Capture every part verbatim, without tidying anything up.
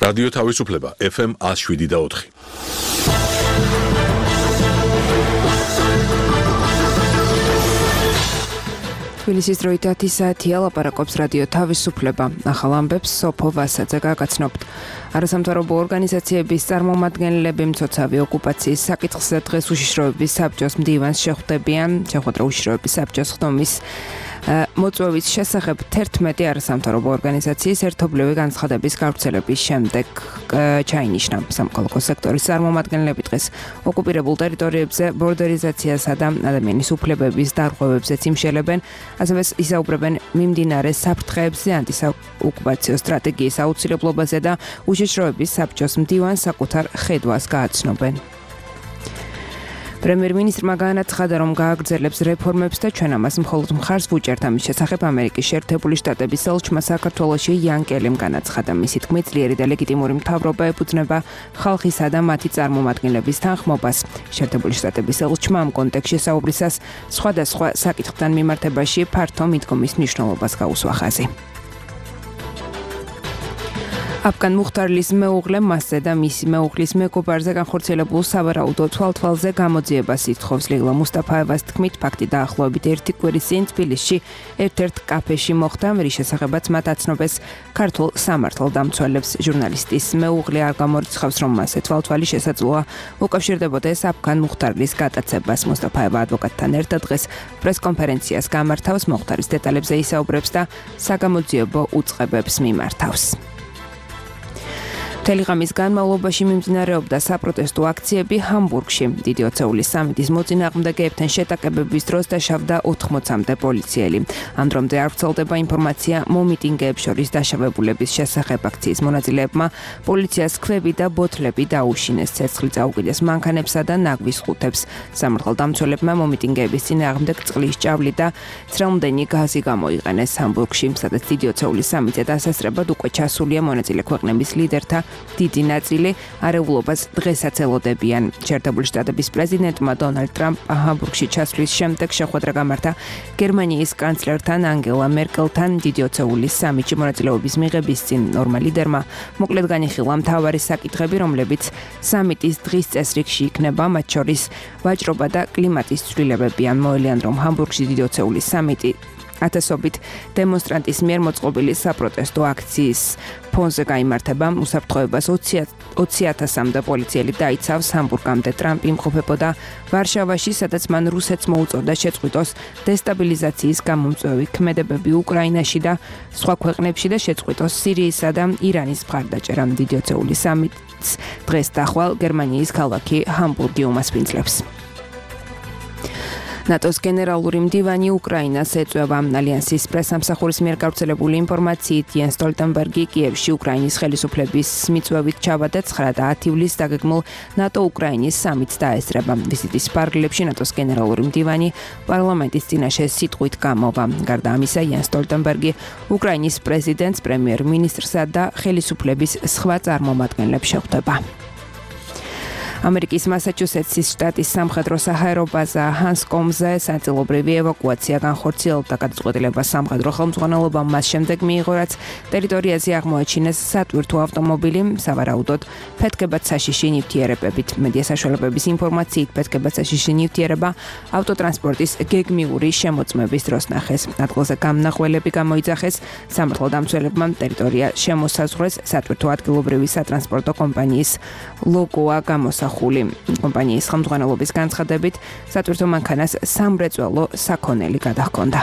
რადიო თავისუფლება ეფ ემ one oh seven და four. თბილისის დროით ათი საათია, ლაპარაკობს რადიო თავისუფლება. ახალ ამბებს სოფო ვასაძე გაგაცნობთ. არასამთავრობო ორგანიზაციების წარმომადგენლები მცოცავი ოკუპაციის საკითხზე დღეს უშიშროების საბჭოს მდივანს შეხვდებიან. შეხვედრა უშიშროების საბჭოს ხდომის მოწვევის შესახებ თერთმეტი არასამთავრობო ორგანიზაციის ერთობლივი განცხადების გავრცელების შემდეგ ჩაინიშნა. სამოქალაქო სექტორის წარმომადგენლები დღეს ოკუპირებულ ტერიტორიებზე ბორდერიზაციასა და ადამიანის უფლებების დარღვევებზეც იმშელებენ, ასევე ისაუბრებენ მიმდინარე საფრთხეებზე, ანტიოკუპაციო სტრატეგიის აუცილებლობაზე და უშიშროების საბჭოს მდივანს საკუთარ ხედვას გააცნობენ. პრემიერ-მინისტრმა განაცხადა, რომ გააგრძელებს რეფორმებს და ჩვენ ამას მხოლოდ მხარს ვუჭერთ. ამის შესახებ ამერიკის შეერთებული შტატების ელჩმა საქართველოში იან კელიმ განაცხადა. მისი თქმით, ძლიერი და ლეგიტიმური მთავრობა ეფუძნება ხალხისა და მათი წარმომადგენლების თანხმობას. შეერთებული შტატების ელჩმა ამ კონტექსტში საუბრისას სხვადასხვა საკითხთან მიმართებაში ფართო მიდგომის მნიშვნელობას გაუსვა ხაზი. აფგან მუხტარლის მეუღლე მასზე და მისი მეუღლის მეგობარზე განხორციელებულ სავარაუდო თვალთვალზე გამოძიებას ითხოვს. ლეილა მუსტაფაევას თქმით, ფაქტი დაახლოებით ერთი კვირის წინ თბილისში ერთ-ერთ კაფეში მოხდა, რის შესახებაც მათ აცნობეს ქართულ სამართალდამცველებს. ჟურნალისტის მეუღლე არ გამორიცხავს, რომ მასზე თვალთვალი შესაძლოა უკავშირდებოდეს აფგან მუხტარლის გატაცებას. მუსტაფაევა ადვოკატთან ერთად დღეს პრესკონფერენციას გამართავს, მოხდარის დეტალებზე ისაუბრებს და საგამოძიებო უწყებებს მიმართავს. მთელი ღამის განმავლობაში მიმდინარეობდა საპროტესტო აქციები ჰამბურგში. დიდი ოცეულის სამიტის მოწინააღმდეგეებთან შეტაკებების დროს დაშავდა ოთხმოცამდე პოლიციელი. ამ დრომდე არ ვრცელდება ინფორმაცია მომიტინგეებს შორის დაშავებულების შესახებ. აქციის მონაწილეებმა პოლიციას ქვები და ბოთლები დაუშინეს, ცეცხლი წაუკიდეს მანქანებსა და ნაგვის ხუთებს. სამართალდამცველებმა მომიტინგეების წინააღმდეგ წყლის ჭავლი და ცრემლმდენი გაზი გამოიყენეს ჰამბურგში, სადაც დიდი ოცეულის სამიტზე დასასწრებად უკვე ჩასულია მონაწილე ქვეყნების ლიდერთა დიდი ნაწილი არეულობას დღესაც ელოდებიან. შეერთებული შტატების პრეზიდენტმა დონალდ ტრამპმა ჰამბურგში ჩასვლის შემდეგ შეხვედრა გამართა გერმანიის კანცლერთან ანგელა მერკელთან. დიდი ოცეულის სამიტში მონაწილეობის მიღების წინ ორმა ლიდერმა მოკლედ განიხილა მთავარი საკითხები, რომლებიც სამიტის დღის წესრიგში იქნება, მათ შორის ვაჭრობა და კლიმატის ცვლილებები. ან მოელიან, რომ ჰამბურგში დიდი ოცეულის სამიტი ათასობით დემონსტრანტის მიერ მოწყობილი საპროტესტო აქციის ფონზე გაიმართება. უსაფრთხოებას ოცი ათასამდე პოლიციელი დაიცავს. ჰამბურგამდე ტრამპი იმყოფებოდა ვარშავაში, სადაც მან რუსეთს მოუწოდა შეწყვიტოს დესტაბილიზაციის გამომწვევი ქმედებები უკრაინაში და სხვა ქვეყნებში და შეწყვიტოს სირიისა და ირანის მხარდაჭერა. დიდი ოცეულის სამიტს დღეს და ხვალ გერმანიის ქალაქი ჰამბურგი უმასპინძლებს. ნატოს გენერალური მდივანი უკრაინას ეწვევა. ალიანსის პრესამსახურის მიერ გავრცელებული ინფორმაციით, იენს სტოლტენბერგი კიევში უკრაინის ხელისუფლების მიწვევით ჩავარდა ცხრა და ათი ივლისს დაგეგმულ ნატო-უკრაინის სამიტს დაესწრება. ვიზიტის პარალელში ნატოს გენერალური მდივანი პარლამენტის წინაშე სიტყვით გამოვა. გარდა ამისა, იენს სტოლტენბერგი უკრაინის პრეზიდენტს, პრემიერ-მინისტრსა და ხელისუფლების სხვა წარმომადგენლებს შეხვდება. ამერიკის მასაჩუსეტსის შტატის სამხედრო საჰაერო ბაზა ჰანსკომზე საწილობრივი ევაკუაცია განხორციელდა. გადაწყვეტილება სამხედრო ხელმძღვანელობამ მას შემდეგ მიიღო, რაც ტერიტორიაზე აღმოაჩინეს სატვირთო ავტომობილი, სავარაუდოდ ფეთქებად საშიში ნივთიერებებით. მედია საშუალებების ინფორმაციით, ფეთქებად საშიში ნივთიერება ავტოტრანსპორტის გეგმიური შემოწმების დროს ნახეს. ადგილზე გამნახველები გამოიძახეს. სამართალდამცველებმა ტერიტორია შემოსაზღვრეს. სატვირთო ადგილობრივი სატრანსპორტო კომპანიის ლოგოა გამოსახული. კომპანიის ხელმძღვანელობის განცხადებით, სატვირთო მანქანას სამრეწველო საქონელი გადაჰქონდა.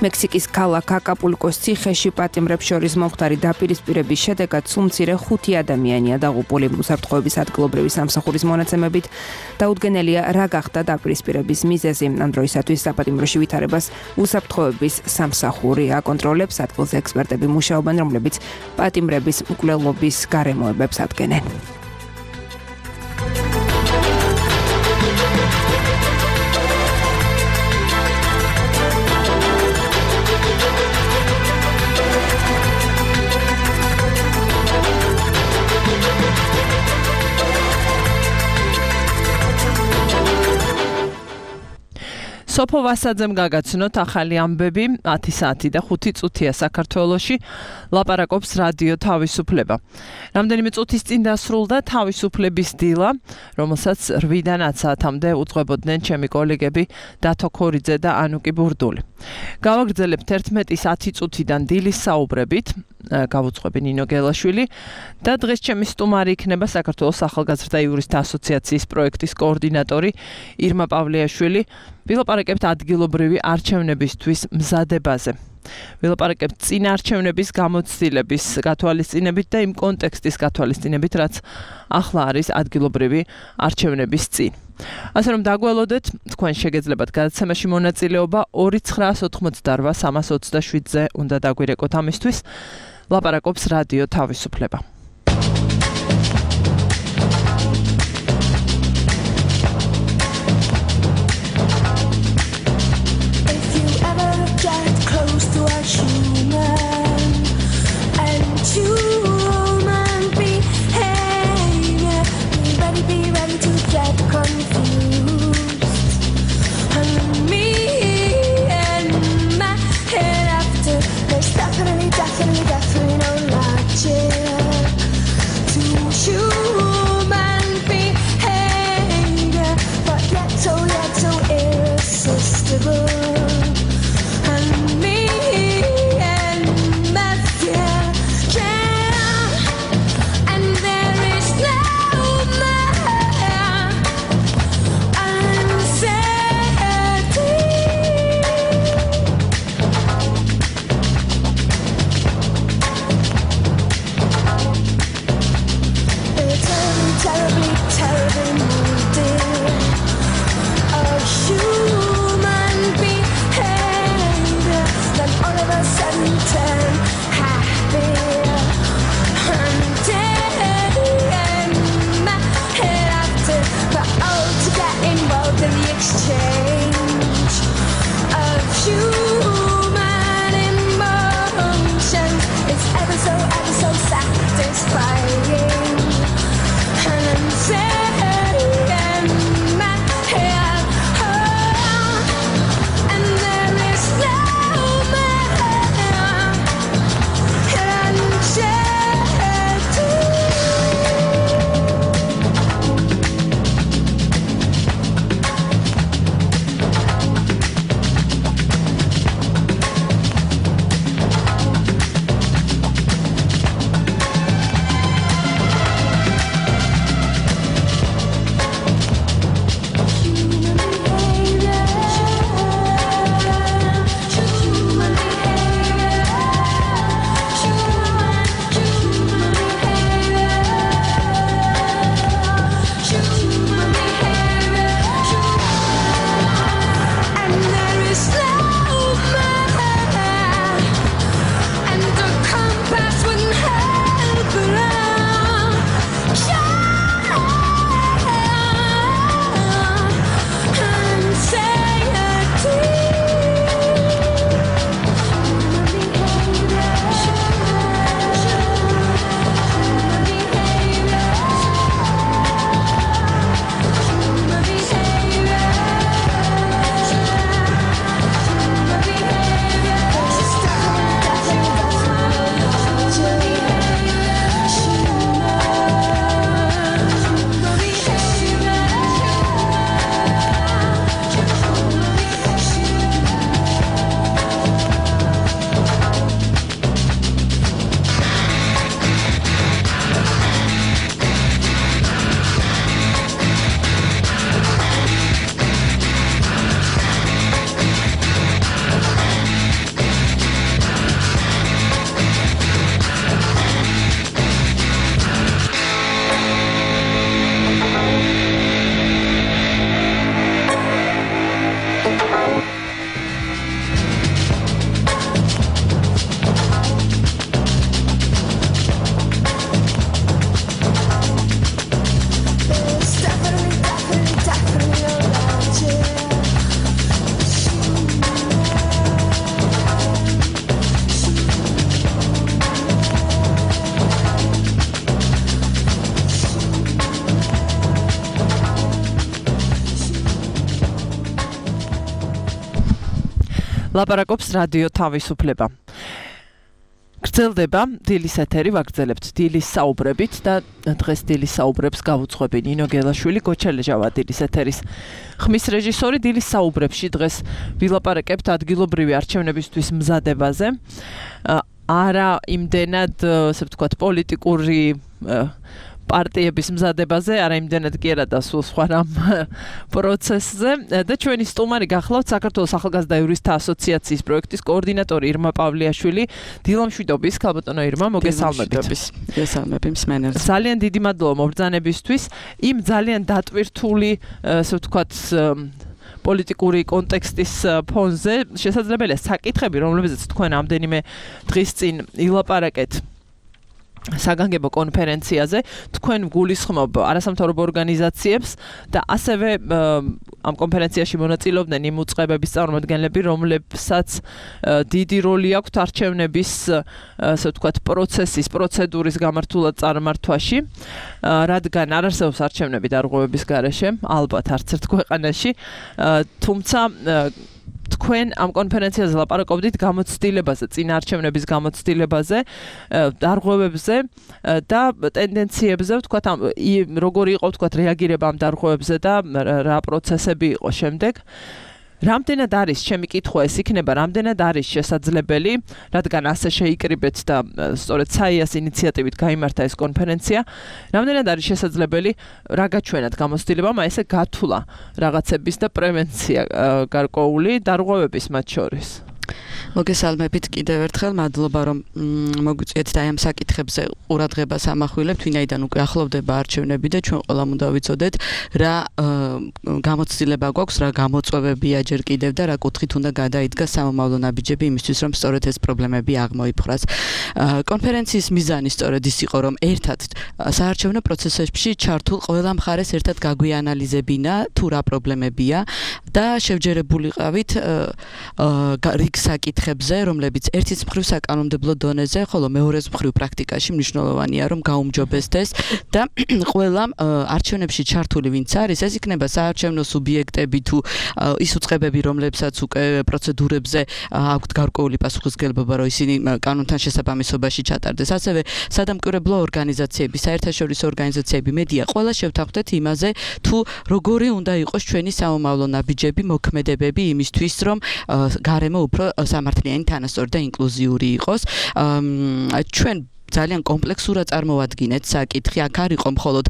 მექსიკის ქალაქ აკაპულკოს ციხეში პატიმრებს შორის მომხდარი დაპირისპირების შედეგად სულ-მცირე ხუთი ადამიანია დაღუპული. უსაფრთხოების ადგილობრივი სამსახურის მონაცემებით დაუდგენელია რა გახდა დაპირისპირების მიზეზი. ამ დროისათვის საპატიმროში ვითარებას უსაფრთხოების სამსახური აკონტროლებს. ადგილზე ექსპერტები მუშაობენ, რომლებიც პატიმრების მკვლელობის გარემოებებს ადგენენ. სოფო ვასაძემ გაგაცნოთ ახალი ამბები ათი საათი და ხუთი წუთია საქართველოში ლაპარაკობს რადიო თავისუფლება. რამდენიმე წუთის წინ დასრულდა თავისუფლების დილა, რომელსაც რვიდან ათ საათამდე უძღვებოდნენ ჩემი კოლეგები დათო ქორიძე და ანუკი ბურდული. გავაგრძელებთ ერთმეტის ათი წუთიდან დილის საუბრებით, გავუძღვები ნინო გელაშვილი და დღეს ჩემი სტუმარი იქნება საქართველოს ახალგაზრდა იურისტთა ასოციაციის პროექტის კოორდინატორი ირმა პავლეაშვილი. ვილაპარაკებთ ადგილობრივი არჩევნებისთვის მზადებაზე. ვილაპარაკებთ წინა არჩევნების გამოცდილების გათვალისწინებით და იმ კონტექსტის გათვალისწინებით, რაც ახლა არის ადგილობრივი არჩევნების წინ. ასე რომ დაგველოდეთ, თქვენ შეგეძლებათ გადაცემაში მონაწილეობა ორი ცხრაას ოთხმოცდარვა სამას ოცდაშვიდზე უნდა დაგვირეკოთ ამისთვის. ლაპარაკობს რადიო თავისუფლება. ლაპარაკობს რადიო თავისუფლება. გრძელდება დილის ეთერი, ვაგრძელებთ დილის საუბრებით და დღეს დილის საუბრებს გავუძღვები ნინო გელაშვილი, გოჩელეჟავა დილის ეთერის ხმის რეჟისორი. დილის საუბრებში დღეს ვილაპარაკებთ ადგილობრივი არჩევნებისთვის მზადებაზე. არა იმდენად, ასე ვთქვათ, პოლიტიკური პარტიების მზადებაზე, არა იმდენად კი არა და სულ სხვა რამ პროცესზე. და ჩვენი სტუმარი გახლავთ საქართველოს ახალგაზრდა იურისტთა ასოციაციის პროექტის კოორდინატორი ირმა პავლიაშვილი. დილამშვიდობის, ქალბატონო ირმა, მოგესალმებით. მოგესალმები მსმენელს. ძალიან დიდი მადლობა მობრძანებისთვის. იმ ძალიან დატვირთული, ასე ვთქვათ, პოლიტიკური კონტექსტის ფონზე შესაძლებელია საკითხები, რომლებზეც თქვენ ამდენიმე დღის წინ ილაპარაკეთ საგანგებო კონფერენციაზე, თქვენ გულისხმობ არასამთავრობო ორგანიზაციებს და ასევე ამ კონფერენციაში მონაწილეობდნენ იმ უწყებების წარმომადგენლები, რომლებსაც დიდი როლი აქვთ არჩევნების, ასე ვთქვათ, პროცესის, პროცედურის გამართულად წარმართვაში, რადგან არ არსებობს არჩევნები დარღვევების გარეშე, ალბათ არც ერთ ქვეყანაში, თუმცა თქვენ ამ კონფერენციაზე ლაპარაკობდით გამოცდილებაზე, წინაარჩევნების გამოცდილებაზე, დარღვევებზე და ტენდენციებზე, ვთქვათ, როგორი იყო, ვთქვათ, რეაგირება ამ დარღვევებზე და რა პროცესები იყო შემდეგ. რამდენად არის, ჩემი კითხვა ეს იქნება, რამდენად არის შესაძლებელი, რადგან ასე შეიკრიბეთ და სწორედ საიას ინიციატივით გაიმართა ეს კონფერენცია, რამდენად არის შესაძლებელი რა გაჩვენათ გამოცდილებამ, აი ესე გათვლა რაღაცების და პრევენცია გარკვეული დარღვევების მათ შორის. მოგესალმებით კიდევ ერთხელ, მადლობა რომ მოგვიწვიეთ და ამ საკითხებზე ყურადღებას ამახვილებთ, ვინაიდან უკვე ახლოვდება არჩევნები და ჩვენ ყველამ უნდა ვიცოდეთ რა გამოცდილება გვაქვს, რა გამოწვევებია ჯერ კიდევ და რა კუთხით უნდა გადაიდგა სამომავლო ნაბიჯები იმისთვის, რომ სწორედ ეს პრობლემები აღმოიფხვრას. კონფერენციის მიზანი სწორედ ის იყო, რომ ერთად საარჩევნო პროცესებში ჩართულ ყველა მხარეს ერთად გაგვიანალიზებინა თუ რა პრობლემებია და შევჯერებულიყავით რიგ საკითხებზე, რომლებიც ერთის მხრივ საკანონმდებლო დონეზე, ხოლო მეორეს მხრივ პრაქტიკაში მნიშვნელოვანია, რომ გაუმჯობესდეს და ყველამ არჩევნებში ჩართული ვინც არის, ეს იქნება საარჩევნო სუბიექტები თუ ის უწყებები, რომლებსაც უკვე პროცედურებზე აქვთ გარკვეული პასუხისმგებლობა, რომ ისინი კანონთან შესაბამისობაში ჩატარდეს. ასევე სადამკვირვებლო ორგანიზაციები, საერთაშორისო ორგანიზაციები, მედია, ყველა შევთანხმდეთ იმაზე, თუ როგორი უნდა იყოს ჩვენი სამომავლო ნაბიჯები, მოქმედებები იმისთვის, რომ გარემო უფრო სამართლიანი, თანასწორი და ინკლუზიური იყოს. ჩვენ ძალიან კომპლექსურად წარმოვადგინეთ საკითხი, აქ არ იყო მხოლოდ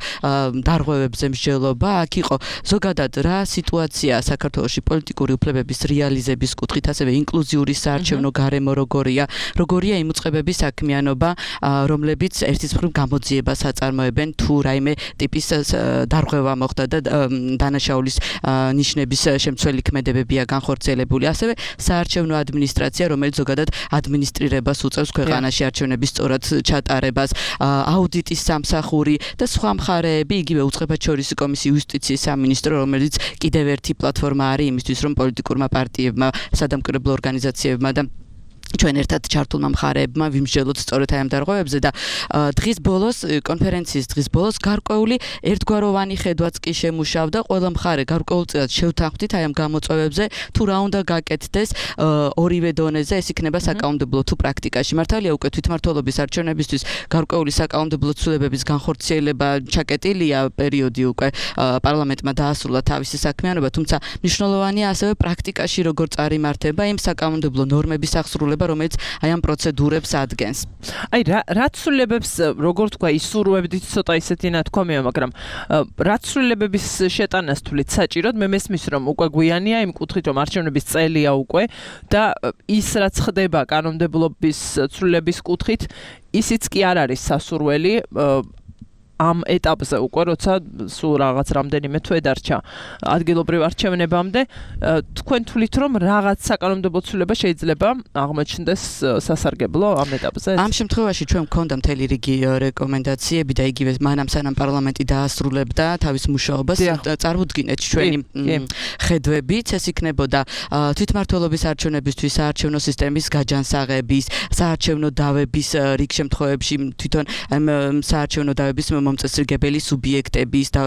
დარღვევებზე მსჯელობა, აქ იყო ზოგადად რა სიტუაცია საქართველოში პოლიტიკური უფლებების რეალიზების კუთხით, ასევე ინკლუზიური საარჩევნო გარემო როგორია, როგორია იმ უწყებების საქმიანობა, რომლებიც ერთის მხრივ გამოძიებას აწარმოებენ, თუ რაიმე ტიპის დარღვევა მოხდა და დანაშაულის ნიშნების შემცველი ქმედებებია განხორციელებული, ასევე საარჩევნო ადმინისტრაცია, რომელიც ზოგადად ადმინისტრირებას უწევს ქვეყანაში არჩევნების სწორად ჩატარებას, აუდიტის სამსახური და სხვა მხარეები, იგივე უწყებაჩვეულის კომისია, იუსტიციის სამინისტრო, რომელიც კიდევ ერთი პლატფორმა არის იმისთვის, რომ პოლიტიკურმა პარტიებმა, სადამკვირვებლო ორგანიზაციებმა და ჩვენ ერთად ჩართულმა მხარეებმა ვიმსჯელოთ სწორედ აი ამ დარღვევებზე და დღის ბოლოს, კონფერენციის დღის ბოლოს გარკვეული ერთგვაროვანი ხედვაც კი შემუშავდა, ყველა მხარე გარკვეულწილად შევთანხმდით აი ამ გამოწვევებზე, თუ რა უნდა გაკეთდეს ორივე დონეზე, ეს იქნება საკანონმდებლო თუ პრაქტიკაში. მართალია უკვე თვითმმართველობის არჩევნებისთვის გარკვეული საკანონმდებლო ცვლილებების განხორციელება ჩაკეტილია, პერიოდი უკვე პარლამენტმა დაასრულა თავისი საქმიანობა, თუმცა მნიშვნელოვანია ასევე პრაქტიკაში როგორ წარიმართება იმ საკანონმდებლო ნორმების აღსრულება, რომელიც აი ამ პროცედურებს ადგენს. აი რა რა ცვლილებებს, როგორ თქვა, ისურვებდით, ცოტა ისეთი ნათქვამია, მაგრამ რა ცვლილებების შეტანას თვლით საჭიროდ? მე მესმის, რომ უკვე გვიანია იმ კუთხით, რომ არჩევნების წელია უკვე და ის რაც ხდება კანონმდებლობის ცვლილების კუთხით, ისიც კი არ არის სასურველი ამ ეტაპზე უკვე, როცა სულ რაღაც რამდენიმე თვე დარჩა ადგილობრივ არჩევნებამდე, თქვენ თვლით, რომ რაღაც საკანონმდებლო ცვლილება შეიძლება აღმოჩნდეს სასარგებლო ამ ეტაპზე? ამ შემთხვევაში ჩვენ გვქონდა მთელი რიგი რეკომენდაციები და იგივე მანამ სანამ პარლამენტი დაასრულებდა თავის მუშაობას, წარმოუდგინეთ ჩვენი ხედვებიც, ეს იქნებოდა თვითმმართველობის არჩევნებისთვის საარჩევნო სისტემის გაჯანსაღების, საარჩევნო დავების რიგ შემთხვევებში თვითონ საარჩევნო დავების მომწესრიგებელი სუბიექტების და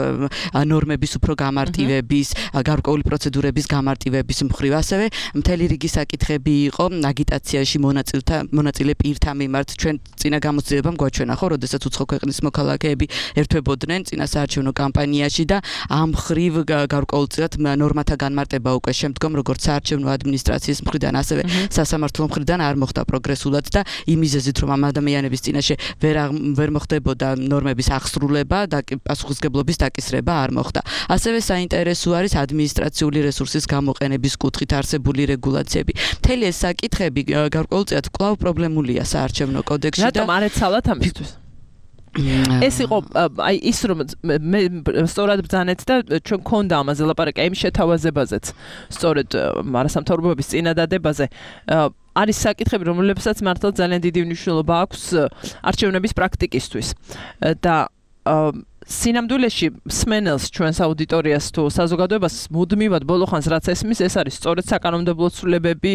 ნორმების უფრო გამარტივების, გარკვეული პროცედურების გამარტივების მხრივ, ასევე მთელი რიგი საკითხები იყო აგიტაციაში მონაწილეთა მონაწილე პირთა მიმართ. ჩვენ წინა გამოცდილებამ გვაჩვენა, ხო, როდესაც უცხო ქვეყნის მოქალაქეები ერთვებოდნენ წინა საარჩევნო კამპანიაში და ამ მხრივ გარკვეულწილად ნორმათა განმარტება უკვე შემდგომ როგორც საარჩევნო ადმინისტრაციის მხრიდან, ასევე სასამართლო მხრიდან არ მოხდა პროგრესულად და იმ მიზეზით, რომ ამ ადამიანების წინაშე ვერ ვერ მოხდებოდა ნორმების აღსრულება და პასუხისგებლობის დაკისრება არ მოხდა. ასევე საინტერესო არის ადმინისტრაციული რესურსის გამოყენების კუთხით არსებული რეგულაციები. მთელი ეს საკითხები გარკვეულწილად კვლავ პრობლემულია საარჩევნო კოდექსში და რატომ არ ეცალათ ამისთვის? ეს იყო აი ის რომ მე სწორად ბრძანეთ და ჩვენ გქონდა ამაზე ლაპარაკი იმ შეთავაზებაზეც სწორედ მარასამთავრობოების წინადადებაზე არის საკითხები რომლებსაც მართლა ძალიან დიდი მნიშვნელობა აქვს არჩევნების პრაქტიკისთვის და სინამდვილეში სმენელს ჩვენს აუდიტორიას თუ საზოგადოებას მუდმივად ბოლოხანს რაც ესმის ეს არის სწორედ საკანონმდებლო ცვლილებები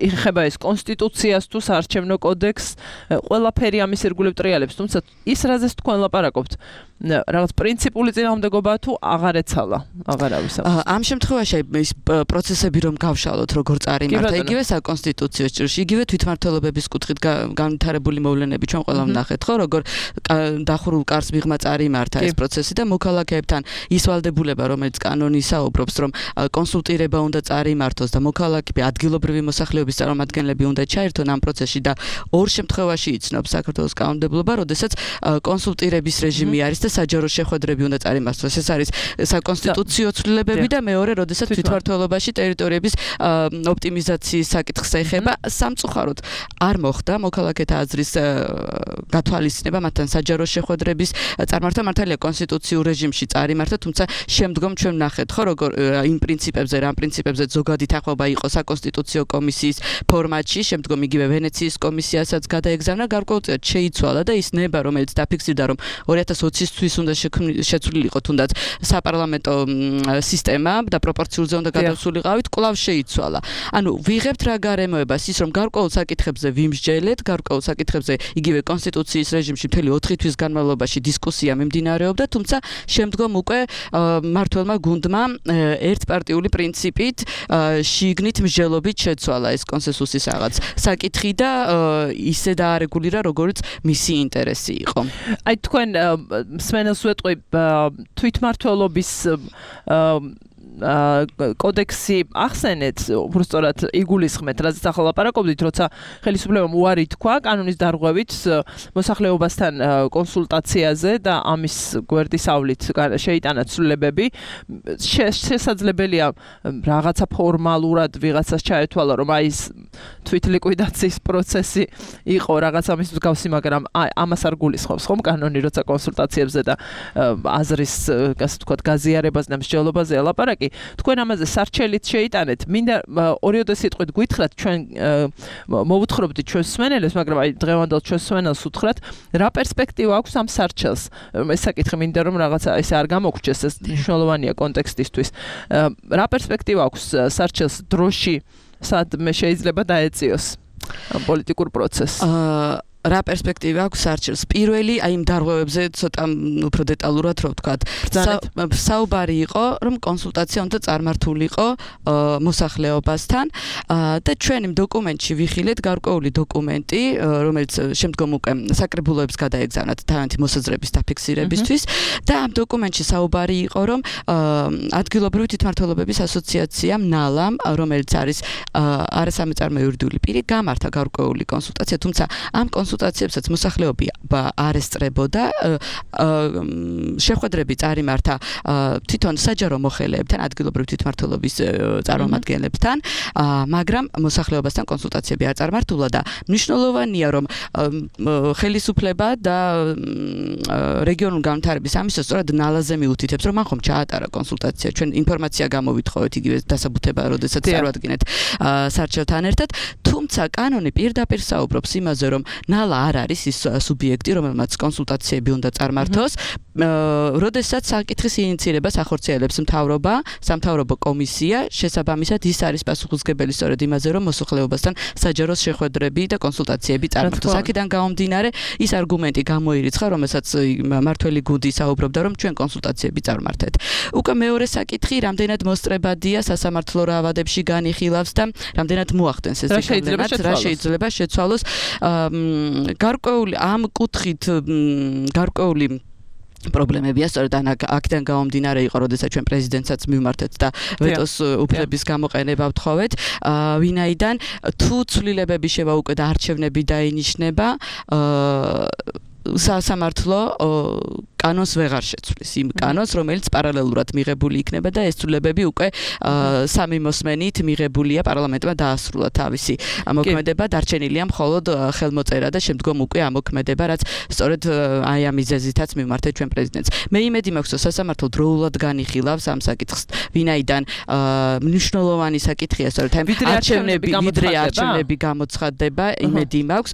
ეხება ეს კონსტიტუციას თუ საარჩევნო კოდექსს ყველაფერი ამის ირგვლივ ტრიალებს თუმცა ის რაზეც თქვენ ლაპარაკობთ რაღაც პრინციპული წინააღმდეგობა თუ აღარ ეცალა აღარავის ამ შემთხვევაში ის პროცესები რომ გავშალოთ როგორ წარიმართა იგივე საკონსტიტუციო ჭრილში იგივე თვითმმართველობების კუთხით განვითარებული მოვლენები ჩვენ ყველამ ნახეთ ხო როგორ დახურულ კარს მიღმა წარიმართა ეს პროცესი და მოქალაქეებთან ის ვალდებულება რომელიც კანონი საუბრობს რომ კონსულტირება უნდა წარიმართოს და მოქალაქეები ადგილობრივი მოსახლეობის წარმომადგენლები უნდა ჩაერთონ ამ პროცესში და ორ შემთხვევაში იცნობს საქართველოს კანონმდებლობა როდესაც კონსულტირების რეჟიმი არის და საჯარო შეხვედრები უნდა წარიმართოს ეს არის საკონსტიტუციო ცვლილებები და მეორე როდესაც თვითმმართველობაში ტერიტორიების ოპტიმიზაციის საკითხს ეხება სამწუხაროდ არ მოხდა მოქალაქეთა აზრის გათვალისწინება მათთან საჯარო შეხვედრების წარმართა მართალია კონსტიტუციურ რეჟიმში წარიმართა თუმცა შემდგომ ჩვენ ნახეთ ხო როგორ იმ პრინციპებზე რამ პრინციპებზე ზოგადი თანხმობა იყო საკონსტიტუციო კომისიის ფორმატში შემდგომ იგივე ვენეციის კომისიასაც გადაეგზავნა გარკვეულწილად შეიცვალა და ის ნება რომელიც დაფიქსირდა რომ ორი ათას ოცისთვის უნდა შეცვლილიყო თუნდაც საპარლამენტო სისტემა და პროპორციულზე უნდა გადავსულიყავით კვლავ შეიცვალა ანუ ვიღებთ რა გარემოებას ის რომ გარკვეულ საკითხებზე ვიმსჯელეთ გარკვეულ საკითხებზე იგივე კონსტიტუციის რეჟიმში მთელი ოთხი თვის განმავლობაში დისკუსია მიმდინარეობდა, თუმცა შემდგომ უკვე მმართველმა გუნდმა ერთპარტიული პრინციპით შიგნით მსჯელობით შეცვალა ეს კონსენსუსის რაღაც საკითხი და ისე დაარეგულირა, როგორც მისი ინტერესი იყო. აი თქვენ სმენელს ვეტყვი თვითმმართველობის კოდექსი ახსენეთ, უბრალოდ იგულისხმეთ, რაზეც ახლა ლაპარაკობდით, როცა ხელისუფლებამ უარი თქვა კანონის დარღვევით მოსახლეობასთან კონსულტაციაზე და ამის გვერდისავლით შეიტანა ცვლილებები, შესაძლებელია რაღაცა ფორმალურად ვიღაცას ჩაეთვალა, რომ აი ეს თვითლიკვიდაციის პროცესი იყო რაღაც ამის მსგავსი, მაგრამ ამას არ გულისხმობს ხომ კანონი, როცა კონსულტაციებზე და აზრის, ასე ვთქვათ, გაზიარებაზე და მსჯელობაზე ლაპარაკი თქვენ ამაზე სარჩელით შეიტანეთ. მინდა ორიოდე სიტყვით გითხრათ, ჩვენ მოვუთხრობდით ჩვენ სმენელებს, მაგრამ აი დღევანდელ ჩვენ სმენელს უთხრათ, რა პერსპექტივა აქვს ამ სარჩელს. ეს საკითხი მინდა რომ რაღაცა ესე არ გამოგრჩეს, ეს მნიშვნელოვანია კონტექსტისთვის. რა პერსპექტივა აქვს სარჩელს დროში, სადმე შეიძლება დაეწიოს ამ პოლიტიკურ პროცესს? რა პერსპექტივა აქვს სარჩელს? პირველი, აი იმ დარღვევებზე ცოტა უფრო დეტალურად რო ვთქვათ. საუბარი იყო, რომ კონსულტაცია უნდა წარმართულიყო მოსახლეობასთან და ჩვენ იმ დოკუმენტში ვიხილეთ გარკვეული დოკუმენტი, რომელიც შემდგომ უკვე საკრებულოებს გადაეგზავნათ თავიანთი მოსაზრების დაფიქსირებისთვის და ამ დოკუმენტში საუბარი იყო, რომ ადგილობრივი თვითმმართველობების ასოციაციამ ნალამ, რომელიც არის არასამეწარმო იურიდიული პირი, გამართა გარკვეული კონსულტაცია, თუმცა ამ კონსულტაციებსაც მოსახლეობა არ ესწრებოდა შეხვედრები წარიმართა თვითონ საჯარო მოხელეებთან ადგილობრივი თვითმმართველობის წარმომადგენლებთან მაგრამ მოსახლეობასთან კონსულტაციები არ წარმართულა და მნიშვნელოვანია რომ ხელისუფლება და რეგიონულ განვითარების სამინისტრო სწორად ნალაზე მიუთითებს რომ მან ხომ ჩაატარა კონსულტაცია ჩვენ ინფორმაცია გამოვითხოვეთ იგივე დასაბუთება როდესაც წარვადგინეთ სარჩელთან ერთად თუმცა კანონი პირდაპირ საუბრობს იმაზე რომ ტრიბუნალ არ არის ის სუბიექტი, რომელმაც კონსულტაციები უნდა წარმართოს. როდესაც საკითხის ინიციირებას ახორციელებს მთავრობა, სამთავრობო კომისია, შესაბამისად ის არის პასუხისმგებელი სწორედ იმაზე, რომ მოსახლეობასთან საჯარო შეხვედრები და კონსულტაციები წარმართოს. აქედან გამომდინარე, ის არგუმენტი გამოირიცხა, რომელსაც მართველი გუნდი საუბრობდა, რომ ჩვენ კონსულტაციები წარმართეთ. უკვე მეორე საკითხი, რამდენად მოსწრებადია სასამართლო რაავადებში განიხილავს და რამდენად მოახდენს ეს შეცვალოს. რა შეიძლება შეცვალოს. გარკვეული ამ კუთხით გარკვეული პრობლემებია, სწორედ აქედან გამომდინარე იყო, როდესაც ჩვენ პრეზიდენტსაც მივმართეთ და ვეტოს უფლების გამოყენება ვთხოვეთ, ვინაიდან თუ ცვლილებები შევა უკვე და არჩევნები დაინიშნება, სასამართლო კანონს ვეღარ შეცვლის, იმ კანონს, რომელიც პარალელურად მიღებული იქნება და ეს ცვლილებები უკვე სამი მოსმენით მიღებულია პარლამენტმა დაასრულა თავისი ამოქმედება, დარჩენილია მხოლოდ ხელმოწერა და შემდგომ უკვე ამოქმედება, რაც სწორედ აი ამ მიზეზითაც მივმართეთ ჩვენ პრეზიდენტს. მე იმედი მაქვს, რომ სასამართლო დროულად განიხილავს ამ საკითხს, ვინაიდან მნიშვნელოვანი საკითხია, სწორედ აი არჩევნები, ვიდრე არჩევნები გამოცხადდება, იმედი მაქვს,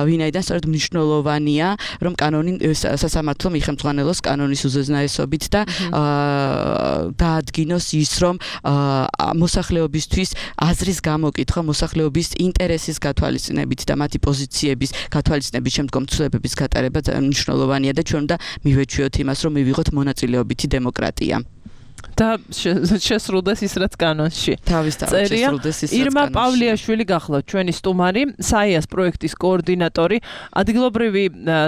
ვინაიდან სწორედ მნიშვნელოვანია, რომ კანონი სასამართლო ხელმძღვანელოს კანონის უზენაესობით და დაადგინოს ის, რომ მოსახლეობისთვის აზრის გამოკითხვა, მოსახლეობის ინტერესის გათვალისწინებით და მათი პოზიციების გათვალისწინებით შემდგომ ცვლილებების გატარება მნიშვნელოვანია და ჩვენ უნდა მივეჩვიოთ იმას, რომ მივიღოთ მონაწილეობითი დემოკრატია. და შესრულდეს ის რაც კანონში. თავისთავად შესრულდეს ის რაც კანონში. ირმა პავლიაშვილი გახლავთ ჩვენი სტუმარი, საიას პროექტის კოორდინატორი. ადგილობრივი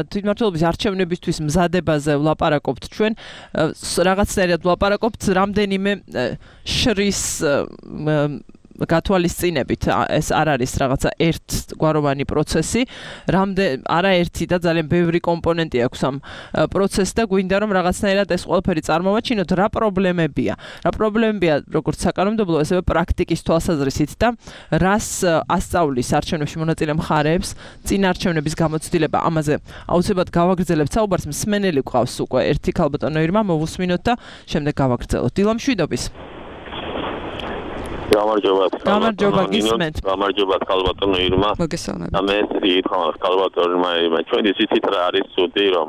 თვითმმართველობის არჩევნებისთვის მზადებაზე ვლაპარაკობთ ჩვენ. რაღაცნაირად ვლაპარაკობთ რამდენიმე შრის გათვალისწინებით ეს არ არის რაღაცა ერთგვაროვანი პროცესი, რამდენ არაერთი და ძალიან ბევრი კომპონენტი აქვს ამ პროცესს და გვინდა რომ რაღაცნაირად ეს ყველაფერი წარმოვაჩინოთ, რა პრობლემებია. რა პრობლემებია როგორც საკანონმდებლო, ასევე პრაქტიკის თვალსაზრისით და რას ასწავლის არჩევნებში მონაწილე მხარეებს წინ არჩევნების გამოცდილება. ამაზე აუცილებლად გავაგრძელებთ საუბარს, მსმენელი გვყავს უკვე ერთი ქალბატონო ირმა, მოვუსმინოთ და შემდეგ გავაგრძელოთ. დილა მშვიდობის. გამარჯობა. გამარჯობა, გისმენთ. გამარჯობა, ქალბატონო ირმა. მოგესალმებით. და მე ითხოვს ქალბატონო ირმა, ჩვენი ცით რა არის ცუდი, რომ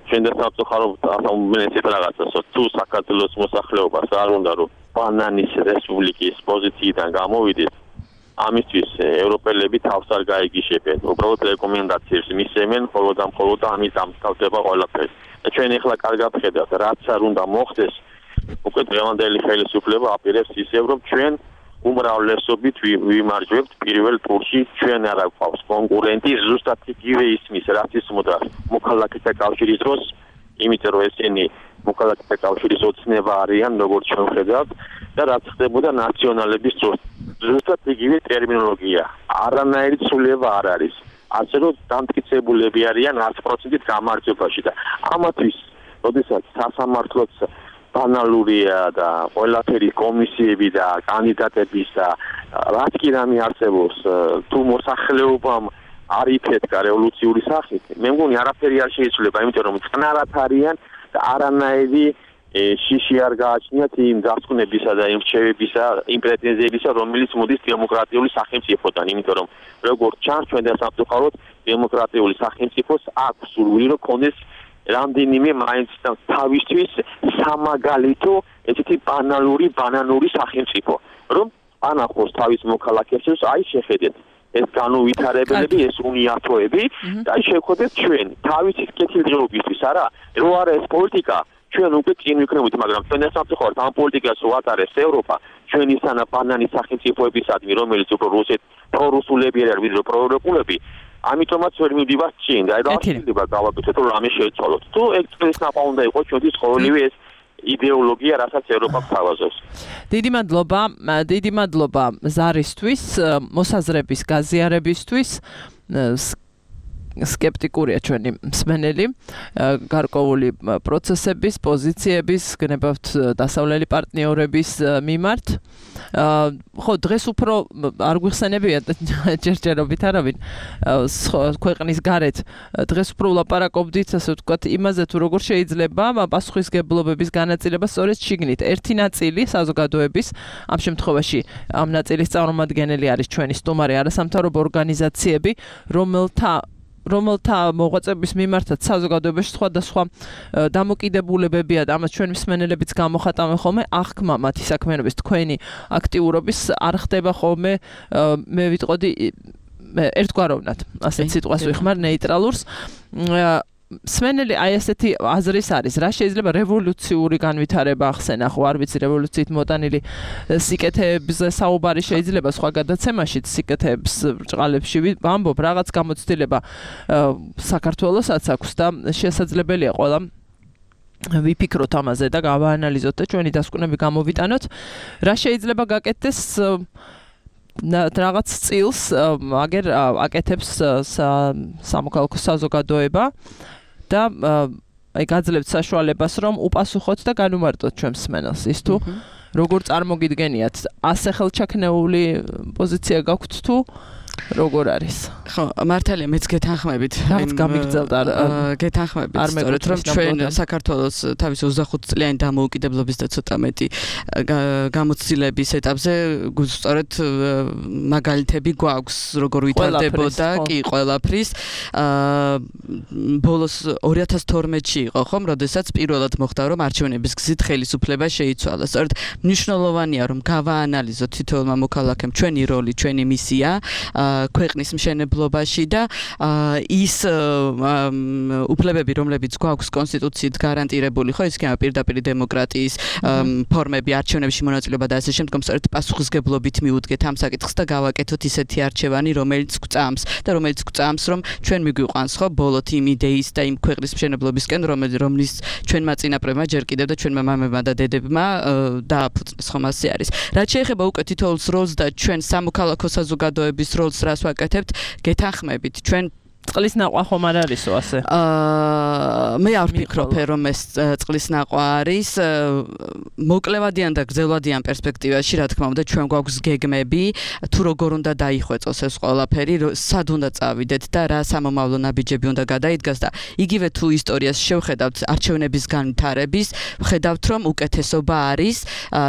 ჩვენ და სამწუხაროდ ახალმენეცით რაღაცას, თუ საქართველოს მოსახლეობას არ უნდა რომ ბანანის რესპუბლიკის პოზიციიდან გამოვიდეთ, ამისთვის ევროპელები თავს არ გაიგიშებენ. უბრალოდ რეკომენდაციებს მისცემენ, ხოლო და მხოლოდ ამით ამთავრდება ყველაფერი. და ჩვენ ახლა კარგად ხედავთ, რაც არ უნდა მოხდეს. უკვე დღევანდელი ხელისუფლება აპირებს ისევ, რომ ჩვენ უმრავლესობით ვიმარჯვებთ პირველ ტურში, ჩვენ არ გვყავს კონკურენტი, ზუსტად იგივე ისმის, რაც ისმოდა მოქალაქეთა კავშირის დროს, იმიტომ რომ ესენი მოქალაქეთა კავშირის ოცნება არიან, როგორც ჩვენ ხედავთ, და რაც ხდებოდა ნაციონალების დროს. ზუსტად იგივე ტერმინოლოგია, არანაირი ცვლილება არ არის. ასე რომ დამტკიცებულები არიან ათი პროცენტით გამარჯვებაში და ამათვის, როდესაც სასამართლოც ბანალურია და ყველაფერი კომისიები და კანდიდატების და რაც კი რამე არსებობს, თუ მოსახლეობამ არ იფეთქა რევოლუციური სახით, მე მგონი არაფერი არ შეიძლება, იმიტომ რომ წყნარად არიან და არანაირი შიში არ გააჩნიათ იმ დასკვნებისა და იმ რჩევებისა, იმ პრეტენზიებისა, რომელიც მოდის დემოკრატიული სახელმწიფოდან, იმიტომ რომ როგორც ჩანს, ჩვენ და სამწუხაროდ დემოკრატიული სახელმწიფოს აქვს სურვილი, რომ ქონდეს რამდენიმე მაინც თავისთვის სამაგალითო ესეთი ბანალური ბანანური სახელმწიფო, რომ ანახოს თავის მოქალაქეებს, აი შეხედეთ ეს განუვითარებლები, ეს უნიათოები და აი შევხვდეთ ჩვენ თავისი კეთილდღეობისთვის, არა, რო არა ეს პოლიტიკა, ჩვენ უკვე წინ ვიქნებით, მაგრამ ჩვენ ეს სამწუხაროდ ამ პოლიტიკას უატარებს ევროპა, ჩვენი სანა ბანანის სახელმწიფოებისადმი, რომელიც უფრო რუსეთ პრორუსულები არ ვიდრე პროევროპულები. ამიტომაც ვერ მივდივართ წინ და აი შეიძლება გავაკეთოთ რომ რამე შევცვალოთ. თუ ეგ წრის ნაპა უნდა იყოს ჩვენთვის ყოველივე ეს იდეოლოგია, რასაც ევროპა გვთავაზობს. დიდი მადლობა, დიდი მადლობა ზარისთვის, მოსაზრების გაზიარებისთვის. სკეპტიკურია ჩვენი მსმენელი, გარკვეული პროცესების, პოზიციების, გნებავთ დასავლელი პარტნიორების მიმართ. ხო დღეს უფრო არ გვიხსენებია ჯერჯერობით არავინ ქვეყნის გარეთ დღეს უფრო ვლაპარაკობდით ასე ვთქვათ იმაზე თუ როგორ შეიძლება პასუხისმგებლობების განაწილება სწორედ შიგნით ერთი ნაწილი საზოგადოების ამ შემთხვევაში ამ ნაწილის წარმომადგენელი არის ჩვენი სტუმარი არასამთავრობო ორგანიზაციები რომელთა რომელთა მოღვაწეობის მიმართაც საზოგადოებაში სხვადასხვა დამოკიდებულებებია და ამას ჩვენ მსმენელებიც გამოხატავენ ხოლმე აღქმა მათი საქმიანობის თქვენი აქტიურობის არ ხდება ხოლმე მე ვიტყოდი ერთგვაროვნად ასეთ სიტყვას ვიხმარ ნეიტრალურს სმენელი აი ესეთი აზრის არის რა შეიძლება რევოლუციური განვითარება ახსენა ხო არ ვიცი რევოლუციით მოტანილი სიკეთეებზე საუბარი შეიძლება სხვა გადაცემაშიც სიკეთეებს ბრჭყალებში ვამბობ რაღაც გამოცდილება საქართველოსაც აქვს და შესაძლებელია ყველა ვიფიქროთ ამაზე და გავაანალიზოთ და ჩვენი დასკვნები გამოვიტანოთ რა შეიძლება გაკეთდეს რაღაც წილს აგერ აკეთებს სამოქალაქო საზოგადოება და აი გაძლევთ საშუალებას რომ უპასუხოთ და განუმარტოთ ჩვენ მსმენელს ის თუ როგორ წარმოგიდგენიათ ასე ხელჩაქნეული პოზიცია გაქვთ თუ როგორ არის ხო მართალია მეც გეთანხმებით რაღაც გამიგრძელდა გეთანხმებით სწორედ რომ ჩვენ საქართველოს თავის ოცდახუთ წლიანი დამოუკიდებლობის და ცოტა მეტი გამოცდილების ეტაპზე სწორედ მაგალითები გვაქვს როგორ ვითარდებოდა კი ყველაფრის ბოლოს ორი ათას თორმეტში იყო ხომ როდესაც პირველად მოხდა რომ არჩევნების გზით ხელისუფლება შეიცვალა სწორედ მნიშვნელოვანია რომ გავაანალიზოთ თითოეულმა მოქალაქემ ჩვენი როლი ჩვენი მისია ქვეყნის მშენებლობაში და ის უფლებები რომლებიც გვაქვს კონსტიტუციით გარანტირებული ხო ის იქნება პირდაპირ დემოკრატიის ფორმები არჩევნებში მონაწილეობა და ასე შემდგომ სწორედ პასუხისმგებლობით მიუდგეთ ამ საკითხს და გავაკეთოთ ისეთი არჩევანი რომელიც გვწამს და რომელიც გვწამს რომ ჩვენ მიგვიყვანს ხო ბოლოთ იმ იდეის და იმ ქვეყნის მშენებლობისკენ რომლის ჩვენმა წინაპრებმა ჯერ კიდევ და ჩვენმა მამებმა და დედებმა დააფუძნეს ხომ ასე არის რაც შეეხება უკვე თითოეულს როლს და ჩვენ სამოქალაქო საზოგადოების როლს რას ვაკეთებთ გეთანხმებით ჩვენ წყლის ნაყვა ხომ არ არისო ასე? აა მე არ ვფიქრობ რომ ეს წყლის ნაყვა არის მოკლევადიან და გრძელვადიან პერსპექტივაში რა თქმა უნდა ჩვენ გვაქვს გეგმები თუ როგორ უნდა დაიხვეწოს ეს ყველაფერი სად უნდა წავიდეთ და რა სამომავლო ნაბიჯები უნდა გადაიდგას და იგივე თუ ისტორიას შევხედავთ არჩევნების განვითარების ვხედავთ რომ უკეთესობა არის